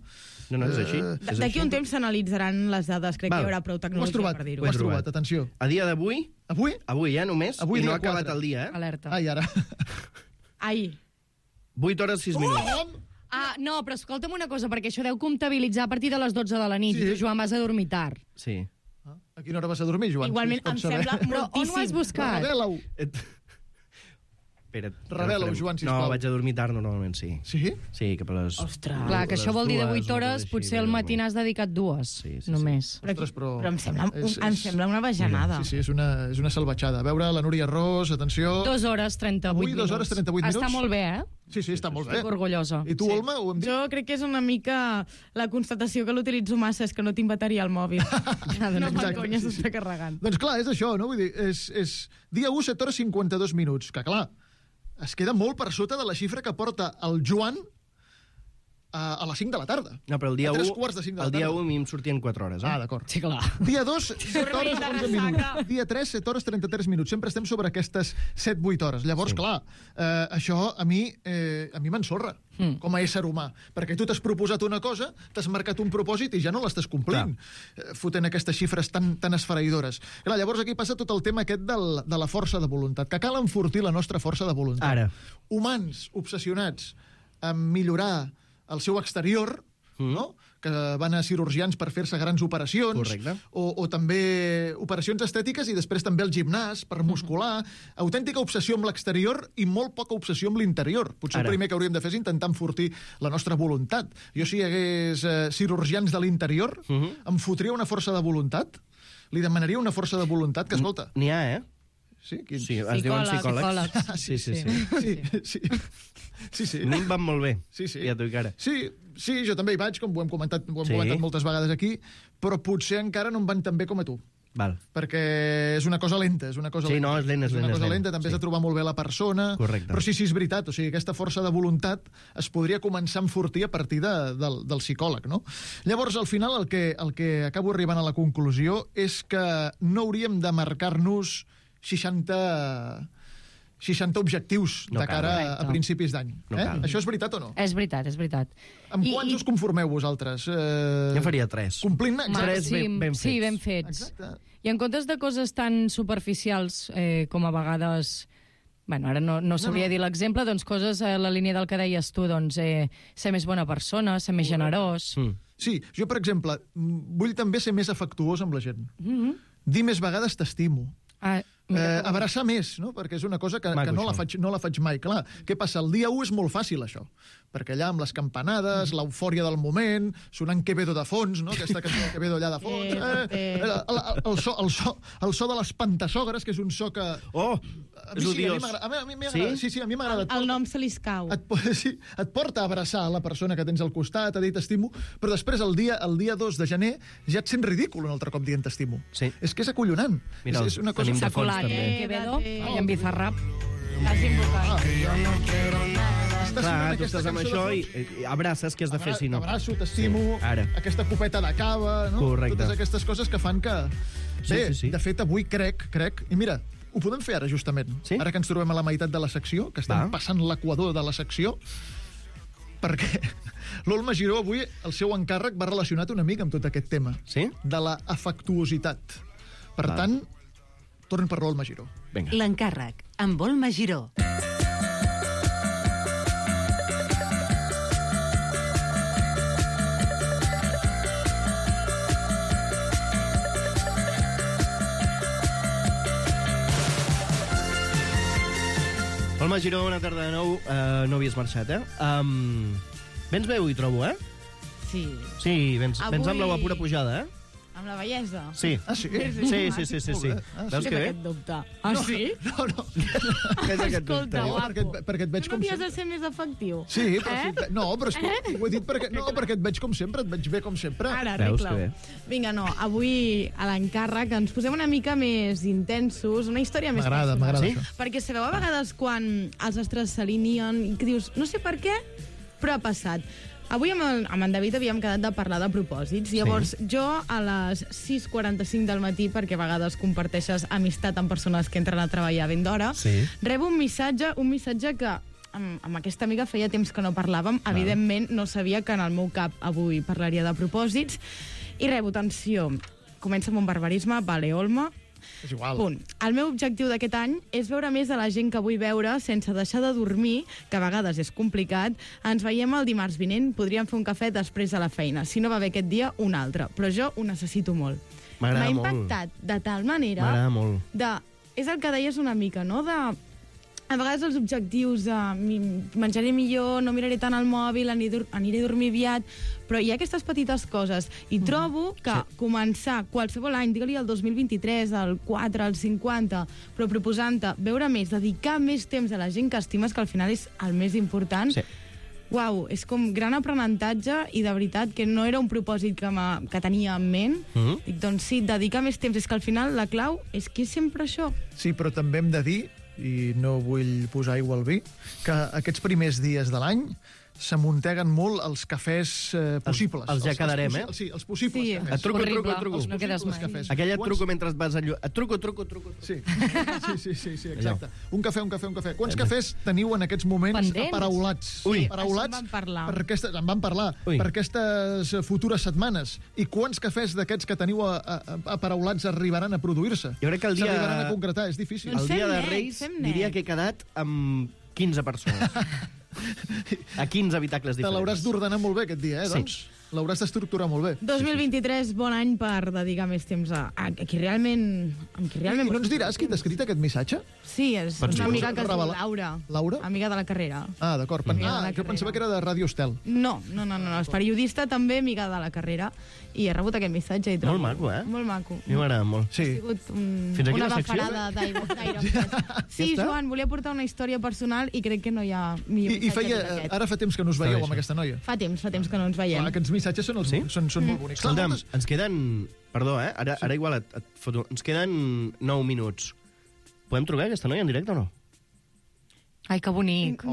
No, és així. D'aquí un temps s'analitzaran les dades. Crec que hi haurà prou tecnologia per dir-ho. Ho has trobat, atenció. A dia d'avui... Avui? Avui, només. Avui i no ha acabat el dia, Alerta. Ai, ara. Ai. 8 hores 6 minuts. No, però escolta'm una cosa, perquè això deu comptabilitzar a partir de les 12 de la nit. I tu, Joan, vas a dormir tard. Sí. A quina hora vas a dormir, Joan? Igualment, em sembla moltíssim. Però on ho has buscat? Revela-ho. Revela-ho, Joan, sisplau. No, vaig a dormir tard normalment, sí. Sí? Sí, cap a les... Ostres. Clar, que això vol dir de 8 hores, potser al matí n'has dedicat 2, només. Però em sembla una bajanada. Sí, és una salvatjada. A veure, la Núria Ros, atenció... 2 hores 38 minuts. Avui 2 hores 38 minuts. Està molt bé, Sí, està molt bé. Estic orgullosa. I tu, Olma, ho hem dit? Jo crec que és una mica la constatació que l'utilitzo massa, és que no tinc bateria al mòbil. No fa conya, s'està carregant. Doncs clar, és això, no? Vull dir, és dia 1, 7 hores 52 minuts, que clar, es queda molt per sota de la xifra que porta el Joan a les 5 de la tarda. No, però el dia 1... A 3 quarts de 5 de la tarda. El dia 1 a mi em sortien 4 hores, d'acord. Sí, clar. Dia 2, 7 hores 11 minuts. Dia 3, 7 hores 33 minuts. Sempre estem sobre aquestes 7-8 hores. Llavors, clar, això a mi m'ensorra com a ésser humà. Perquè tu t'has proposat una cosa, t'has marcat un propòsit i ja no l'estàs complint. Fotent aquestes xifres tan esfereïdores. Clar, llavors aquí passa tot el tema aquest de la força de voluntat, que cal enfortir la nostra força de voluntat. Ara. Humans obsessionats amb millorar el seu exterior, no? que van a cirurgians per fer-se grans operacions, correcte, o també operacions estètiques i després també el gimnàs per muscular. Autèntica obsessió amb l'exterior i molt poca obsessió amb l'interior. Potser el primer que hauríem de fer és intentar enfortir la nostra voluntat. Jo, si hi hagués cirurgians de l'interior, em fotria una força de voluntat, li demanaria una força de voluntat que, escolta... N'hi ha, Sí, sí, es diuen psicòlegs. Sí. A mi em van molt bé, ja t'ho dic ara. Sí, jo també hi vaig, com ho hem comentat moltes vegades aquí, però potser encara no em van tan bé com a tu. Val. Perquè és una cosa lenta. És una cosa lenta. No, és lent. És una cosa lenta, també has de trobar molt bé la persona. Correcte. Però sí, és veritat. O sigui, aquesta força de voluntat es podria començar a enfortir a partir del psicòleg, no? Llavors, al final, el que acabo arribant a la conclusió és que no hauríem de marcar-nos 60 objectius de cara a principis d'any. Això és veritat o no? És veritat. Amb quants us conformeu vosaltres? Jo faria 3. Complint-ne? 3 ben fets. Sí, ben fets. Exacte. I en comptes de coses tan superficials com a vegades... Bueno, ara no sabria dir l'exemple, doncs coses a la línia del que deies tu, doncs ser més bona persona, ser més generós... Sí, jo, per exemple, vull també ser més afectuós amb la gent. Dir més vegades t'estimo. Abraçar més, no? Perquè és una cosa que no la faig mai. Clar, què passa? El dia 1 és molt fàcil, això. Perquè allà amb les campanades, l'eufòria del moment, sonant Quevedo de fons, no? Aquesta cançó de Quevedo allà de fons. El so de les pantassogres, que és un so que... Oh, és odiós. A mi m'agrada. Sí, a mi m'agrada. El nom se li escau. Et porta a abraçar la persona que tens al costat, a dir t'estimo, però després, el dia 2 de gener, ja et sents ridícul un altre cop dient t'estimo. És que és acollonant. Mira, és una cosa... S'ha colat, Quevedo, i en Bizarrap. L'has invocat. Clar, tu estàs amb això i abraces, què has de fer si no? T'abraço, t'estimo, aquesta copeta de cava, no? Correcte. Totes aquestes coses que fan que... Bé, de fet, avui crec, i mira, ho podem fer ara, justament. Ara que ens trobem a la meitat de la secció, que estem passant l'equador de la secció, perquè l'Olma Giró avui, el seu encàrrec va relacionat una mica amb tot aquest tema. De la afectuositat. Per tant, tornem per l'Olma Giró. L'encàrrec, amb Olma Giró. Olma Giró, bona tarda de nou. No havies marxat, Vens bé avui, trobo, Sí. Sí, vens amb la pura pujada, Amb la bellesa? Sí. Ah, sí? Sí. Veus que bé? Aquest dubte. Ah, sí? No. Què és aquest dubte? Perquè et veig com... No havies de ser més efectiu? Sí, però... No, però ho he dit perquè et veig com sempre, et veig bé com sempre. Ara, arregla-ho. Vinga, no, avui a l'encàrrec ens posem una mica més intensos, una història més personal. M'agrada això. Perquè sabeu a vegades quan els astres s'alineen i que dius, no sé per què, però ha passat. Avui amb en David havíem quedat de parlar de propòsits. Llavors, jo a les 6:45 del matí, perquè a vegades comparteixes amistat amb persones que entren a treballar ben d'hora, rebo un missatge que amb aquesta amiga feia temps que no parlàvem. Evidentment, no sabia que en el meu cap avui parlaria de propòsits. I rebo, atenció, comença amb un barbarisme, vale, Olma, és igual. Punt. El meu objectiu d'aquest any és veure més a la gent que vull veure sense deixar de dormir, que a vegades és complicat. Ens veiem el dimarts vinent, podríem fer un cafè després de la feina. Si no va bé aquest dia, un altre. Però jo ho necessito molt. M'agrada molt. M'ha impactat de tal manera... M'agrada molt. És el que deies una mica, no? A vegades els objectius menjaré millor, no miraré tant el mòbil, aniré a dormir aviat, però hi ha aquestes petites coses. I trobo que començar qualsevol any, digue-li el 2023, el 4, el 50, però proposant-te veure més, dedicar més temps a la gent que estimes, que al final és el més important, uau, és com gran aprenentatge i de veritat que no era un propòsit que tenia en ment. Dic, doncs sí, dedicar més temps. És que al final la clau és que és sempre això. Sí, però també hem de dir, i no vull posar aigua al vi, que aquests primers dies de l'any s'amunteguen molt els cafès possibles. Els ja quedarem, Sí, els possibles cafès. Et truco. No quedes mai. Aquell et truco mentre et vas a Et truco. Sí, exacte. Un cafè. Quants cafès teniu en aquests moments aparaulats? Aparaulats en van parlar. Per aquestes futures setmanes. I quants cafès d'aquests que teniu aparaulats arribaran a produir-se? Jo crec que el dia... S'arribaran a concretar, és difícil. El dia de Reis diria que he quedat amb 15 persones. A 15 habitacles diferents. Te l'hauràs d'ordenar molt bé aquest dia, doncs? L'hauràs d'estructurar molt bé. 2023, bon any per dedicar més temps a qui realment... I no ens diràs qui t'ha escrit aquest missatge? Sí, és una amiga que es diu Laura. Laura? Amiga de la carrera. Ah, d'acord. Jo pensava que era de Ràdio Estel. No, és periodista també, amiga de la carrera, i he rebut aquest missatge. I molt maco, Molt maco. A mi m'agrada molt. Sí. Ha sigut una bafarada d'aire. Sí, Joan, volia portar una història personal i crec que no hi ha millor missatge que aquest. Ara fa temps que no us veieu amb aquesta noia. Fa temps que no ens veiem. Aquests missatges són molt bonics. Escolta'm, ens queden... Perdó, ara igual et foto. Ens queden 9 minuts. Podem trucar aquesta noia en directe o no? Ai, que bonic.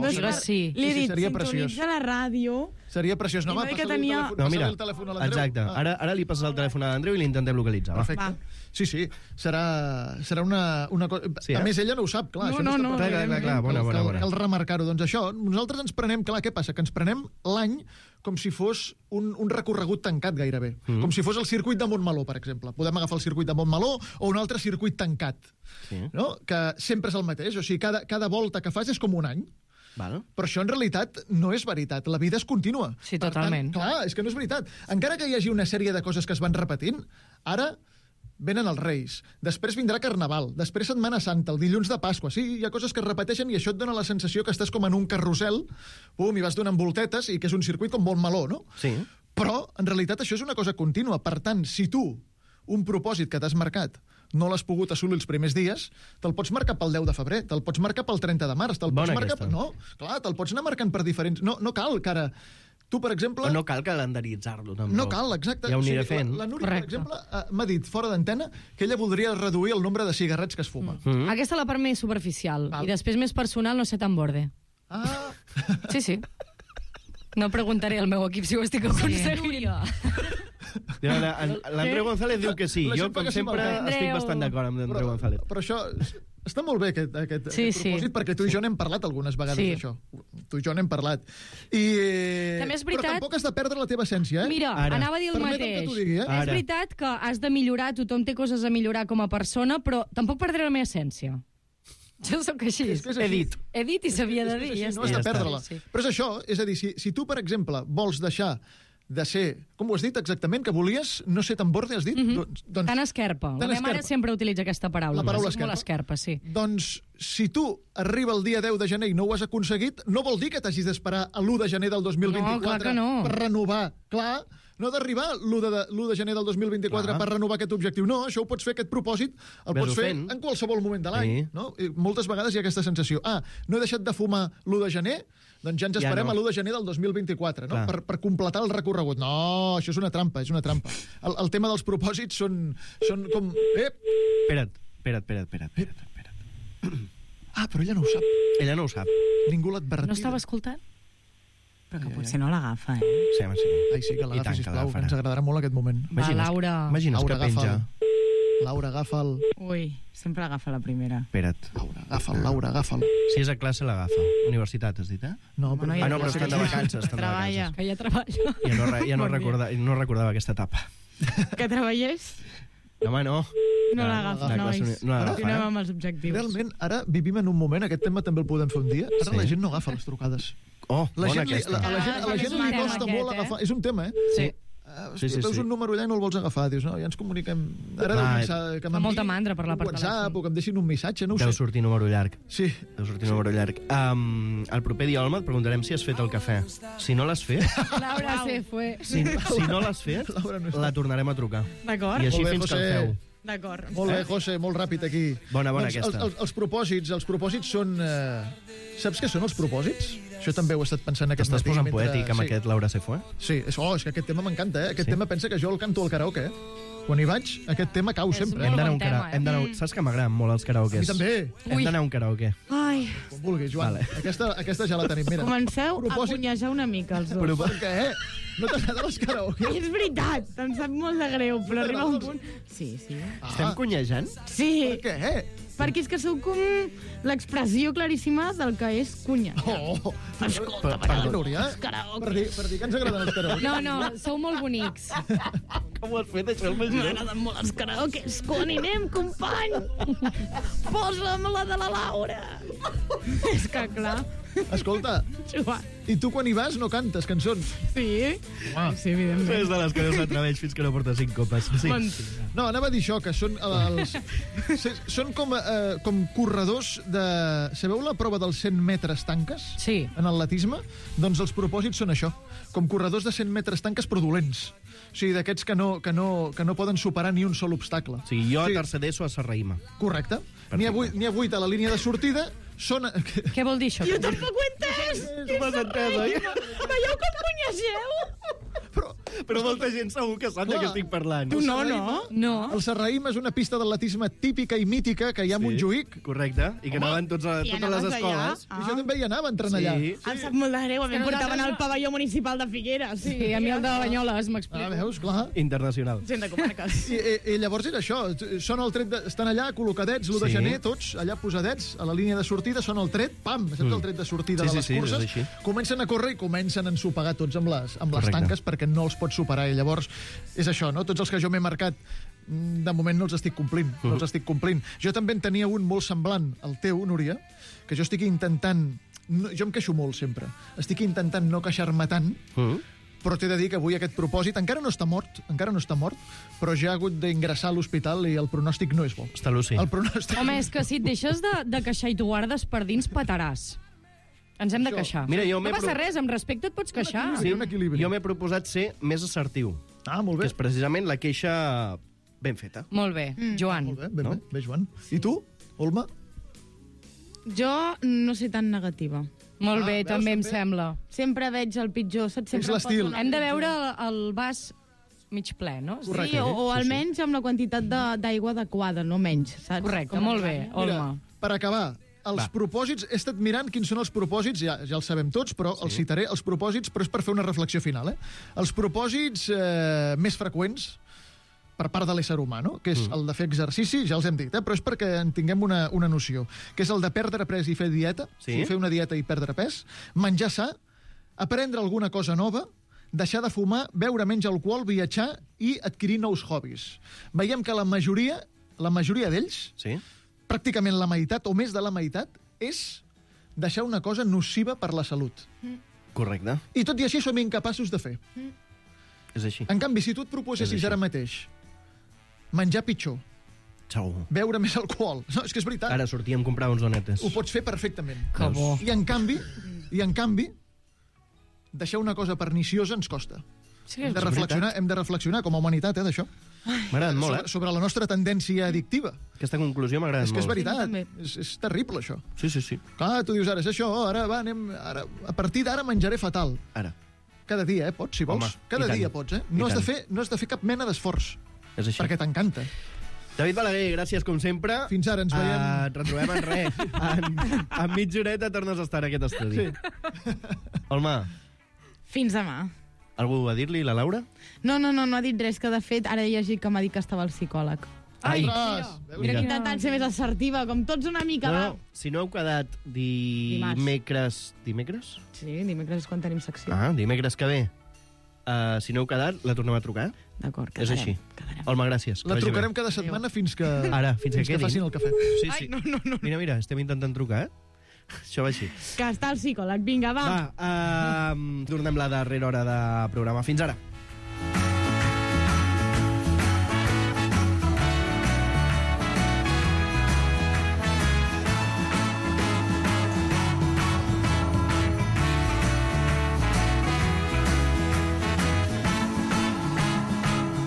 Sí. Li he dit, sintonitza la ràdio... Seria preciós. No, mira, exacte. Ara li passes el telèfon a l'Andreu i l'intentem localitzar. Perfecte. Sí, serà una cosa... Sí, a més, ella no ho sap, clar. No. Clar, bona. Cal remarcar-ho. Doncs això, nosaltres ens prenem... Clar, què passa? Que ens prenem l'any com si fos un recorregut tancat gairebé. Com si fos el circuit de Montmeló, per exemple. Podem agafar el circuit de Montmeló o un altre circuit tancat. No? Que sempre és el mateix. O sigui, cada volta que fas és com un any. Però això en realitat no és veritat. La vida és contínua. Sí, totalment. Clar, és que no és veritat. Encara que hi hagi una sèrie de coses que es van repetint, ara venen els Reis, després vindrà Carnaval, després Setmana Santa, el dilluns de Pasqua. Sí, hi ha coses que es repeteixen i això et dona la sensació que estàs com en un carrusel, i vas donant voltetes i que és un circuit com Montmeló, no? Sí. Però, en realitat, això és una cosa contínua. Per tant, si tu, un propòsit que t'has marcat, no l'has pogut assolir els primers dies, te'l pots marcar pel 10 de febrer, te'l pots marcar pel 30 de març, te'l pots marcar... No, clar, te'l pots anar marcant per diferents... No cal que ara... Tu, per exemple... No cal calendaritzar-lo, tampoc. No cal, exacte. Ja ho aniré fent. La Núria, per exemple, m'ha dit, fora d'antena, que ella voldria reduir el nombre de cigarrets que es fuma. Aquesta és la part més superficial. I després, més personal, no sé tan borde. Ah! Sí. No preguntaré al meu equip si ho estic aconseguint. L'Andreu González diu que sí. Jo, com sempre, estic bastant d'acord amb l'Andreu González. Però això... Està molt bé, aquest propòsit, perquè tu i jo n'hem parlat algunes vegades d'això. Tu i jo n'hem parlat. També és veritat... Però tampoc has de perdre la teva essència, eh? Mira, anava a dir el mateix. És veritat que has de millorar, tothom té coses a millorar com a persona, però tampoc perdré la meva essència. Jo sóc així. He dit i s'havia de dir. No has de perdre-la. Però és això, és a dir, si tu, per exemple, vols deixar de ser... Com ho has dit exactament? Que volies no ser tan borde, has dit? Tan esquerpa. La meva mare sempre utilitza aquesta paraula. La paraula esquerpa. Molt esquerpa, sí. Doncs, si tu arriba el dia 10 de gener i no ho has aconseguit, no vol dir que t'hagis d'esperar a l'1 de gener del 2024 per renovar. Clar, no d'arribar l'1 de gener del 2024 per renovar aquest objectiu. No, això ho pots fer, aquest propòsit, el pots fer en qualsevol moment de l'any. Moltes vegades hi ha aquesta sensació. No he deixat de fumar l'1 de gener, doncs ja ens esperem a l'1 de gener del 2024, no? Per completar el recorregut. No, això és una trampa, El tema dels propòsits són com... Espera't. Ah, però ella no ho sap. Ella no ho sap. Ningú l'ha advertit. No estava escoltant? Però que potser no l'agafa, eh? Sí, home, sí. Ai, sí, que l'agafi, sisplau, que ens agradarà molt aquest moment. Laura. Imagines que penja. Laura, agafa'l. Ui, sempre agafa la primera. Espera't. Laura, agafa'l. Si és a classe, l'agafa. Universitat, has dit, eh? No, però... no, però estan de vacances. Treballa. Que ja treballa. Ja no recordava aquesta etapa. Que treballés? No, home, no. No l'agafa, nois. Continuem amb els objectius. Realment, ara vivim en un moment, aquest tema també el podem fer un dia, ara la gent no agafa les trucades. Oh, bona aquesta. A la gent li costa molt agafar. És un tema, eh? Sí. Veus un número allà i no el vols agafar, dius, no, ja ens comuniquem. Ara fa molta mandra per la part WhatsApp, o que em deixin un missatge, no ho sé. Deu sortir número llarg. Sí. Deu sortir número llarg. El proper dia, Olma, et preguntarem si has fet el cafè. Si no l'has fet... Laura se fue. Si no l'has fet, la tornarem a trucar. D'acord. I així fins que el feu. D'acord. Molt bé, José, molt ràpid aquí. Bona aquesta. Els propòsits són... Saps què són els propòsits? Això també ho he estat pensant aquest matí. T'estàs posant poètic amb aquest Laura se fue? Sí, és que aquest tema m'encanta, eh? Aquest tema pensa que jo el canto al karaoke, eh? Quan hi vaig, aquest tema cau sempre. Hem d'anar a un karaoke. Saps que m'agraden molt els karaokes? A mi també. Hem d'anar a un karaoke. Ai. Com vulguis, Joan. Aquesta ja la tenim. Mira. Comenceu a punyejar una mica els dos. Però per què? No t'agraden els karaokes? És veritat, em sap molt de greu, però arriba un punt... Sí. Estem cunyejant? Sí. Per què? Perquè és que sou com l'expressió claríssima del que és cunya. Escolta, Núria, per dir que ens agraden els karaokes. No, sou molt bonics. Com ho has fet, això? M'agraden molt els karaokes. Quan hi anem, company? Posa'm la de la Laura. És que, clar... Escolta, i tu quan hi vas no cantes cançons? Sí, sí, evidentment. És de les que no s'atreveix fins que no porta 5 copes. Sí. No, anava a dir això, que són són com corredors de... Sabeu la prova dels 100 metres tanques? Sí. En atletisme? Doncs els propòsits són això, com corredors de 100 metres tanques però dolents. O sigui, d'aquests que no poden superar ni un sol obstacle. O sigui, jo a tercer d'ESO a Serraïma. Correcte. N'hi ha 8 a la línia de sortida. Què vol dir això? Jo tampoc ho he entès! Tu m'has entès, oi? Veieu com coneixeu? Però molta gent segur que sap de què estic parlant. Tu no. El Serraïm és una pista d'atletisme típica i mítica que hi ha a Montjuïc. Correcte, i que anaven totes les escoles. I jo també hi anava entrant allà. Em sap molt de greu, a mi em portaven al pavelló municipal de Figueres. Sí, a mi el de Banyoles, m'explico. Veus, clar. Internacional. Gent de comarques. I llavors era això, estan allà col·locadets l'1 de gener, tots allà posadets, a la línia de sortida, són el tret, pam, saps el tret de sortida de les curses? Comencen a córrer i comencen a ensopegar tots amb les tanques perquè no els pots superar. I llavors és això, no? Tots els que jo m'he marcat de moment no els estic complint. Jo també en tenia un molt semblant al teu, Núria, que jo estic intentant... Jo em queixo molt sempre. Estic intentant no queixar-me tant, però t'he de dir que avui aquest propòsit encara no està mort, però ja ha hagut d'ingressar a l'hospital i el pronòstic no és bo. Està lúcid. Home, és que si et deixes de queixar i t'ho guardes per dins, petaràs. Ens hem de queixar. Mira, no passa res, amb respecte et pots queixar. Sí, jo m'he proposat ser més assertiu. Molt bé. Que és precisament la queixa ben feta. Molt bé, Joan. Molt bé, bé, Joan. I tu, Olma? Jo no sé tan negativa. Molt bé, també em sembla. Sempre veig el pitjor. És l'estil. Hem de veure el vas mig ple, no? Sí, o almenys amb la quantitat d'aigua adequada, no menys, saps? Correcte, molt bé, Olma. Per acabar, els propòsits, he estat mirant quins són els propòsits, ja els sabem tots, però els citaré, els propòsits, però és per fer una reflexió final. Els propòsits més freqüents per part de l'ésser humà, no? Que és el de fer exercici, ja els hem dit, però és perquè en tinguem una noció, que és el de perdre pes i fer dieta, fer una dieta i perdre pes, menjar sa, aprendre alguna cosa nova, deixar de fumar, beure menys alcohol, viatjar i adquirir nous hobbies. Veiem que la majoria d'ells, pràcticament la meitat o més de la meitat, és deixar una cosa nociva per la salut. Correcte. I tot i així som incapaços de fer. És així. En canvi, si tu et proposessis ara mateix menjar pitjor, beure més alcohol... No, és que és veritat. Ara sortíem a comprar uns donetes. Ho pots fer perfectament. Que bo. I en canvi, deixar una cosa perniciosa ens costa. Sí, hem de reflexionar com a humanitat, d'això. M'ha agradat molt, sobre la nostra tendència addictiva. Aquesta conclusió m'ha agradat molt. És que és veritat, és terrible, això. Sí. Clar, tu dius, ara és això, ara a partir d'ara menjaré fatal. Ara. Cada dia, pots, si vols. Cada dia pots, No has de fer cap mena d'esforç. És així. Perquè t'encanta. David Balaguer, gràcies com sempre. Fins ara, ens veiem... Et retrobem en res. En mitja horeta tornes a estar en aquest estudi. Sí. Olma. Fins demà. Algú a dir-li, la Laura? No ha dit res, que de fet ara he llegit que m'ha dit que estava al psicòleg. Ai, mira que intentant ser més assertiva, com tots una mica. No, si no heu quedat dimecres... Dimecres? Sí, dimecres és quan tenim secció. Dimecres que ve. Si no heu quedat, la tornem a trucar? D'acord, quedarem. És així. Olma, gràcies. La trucarem cada setmana fins que facin el cafè. Sí. No. Mira, estem intentant trucar, Això va així. Que està el psicòleg. Vinga, va. Tornem la darrera hora de programa. Fins ara.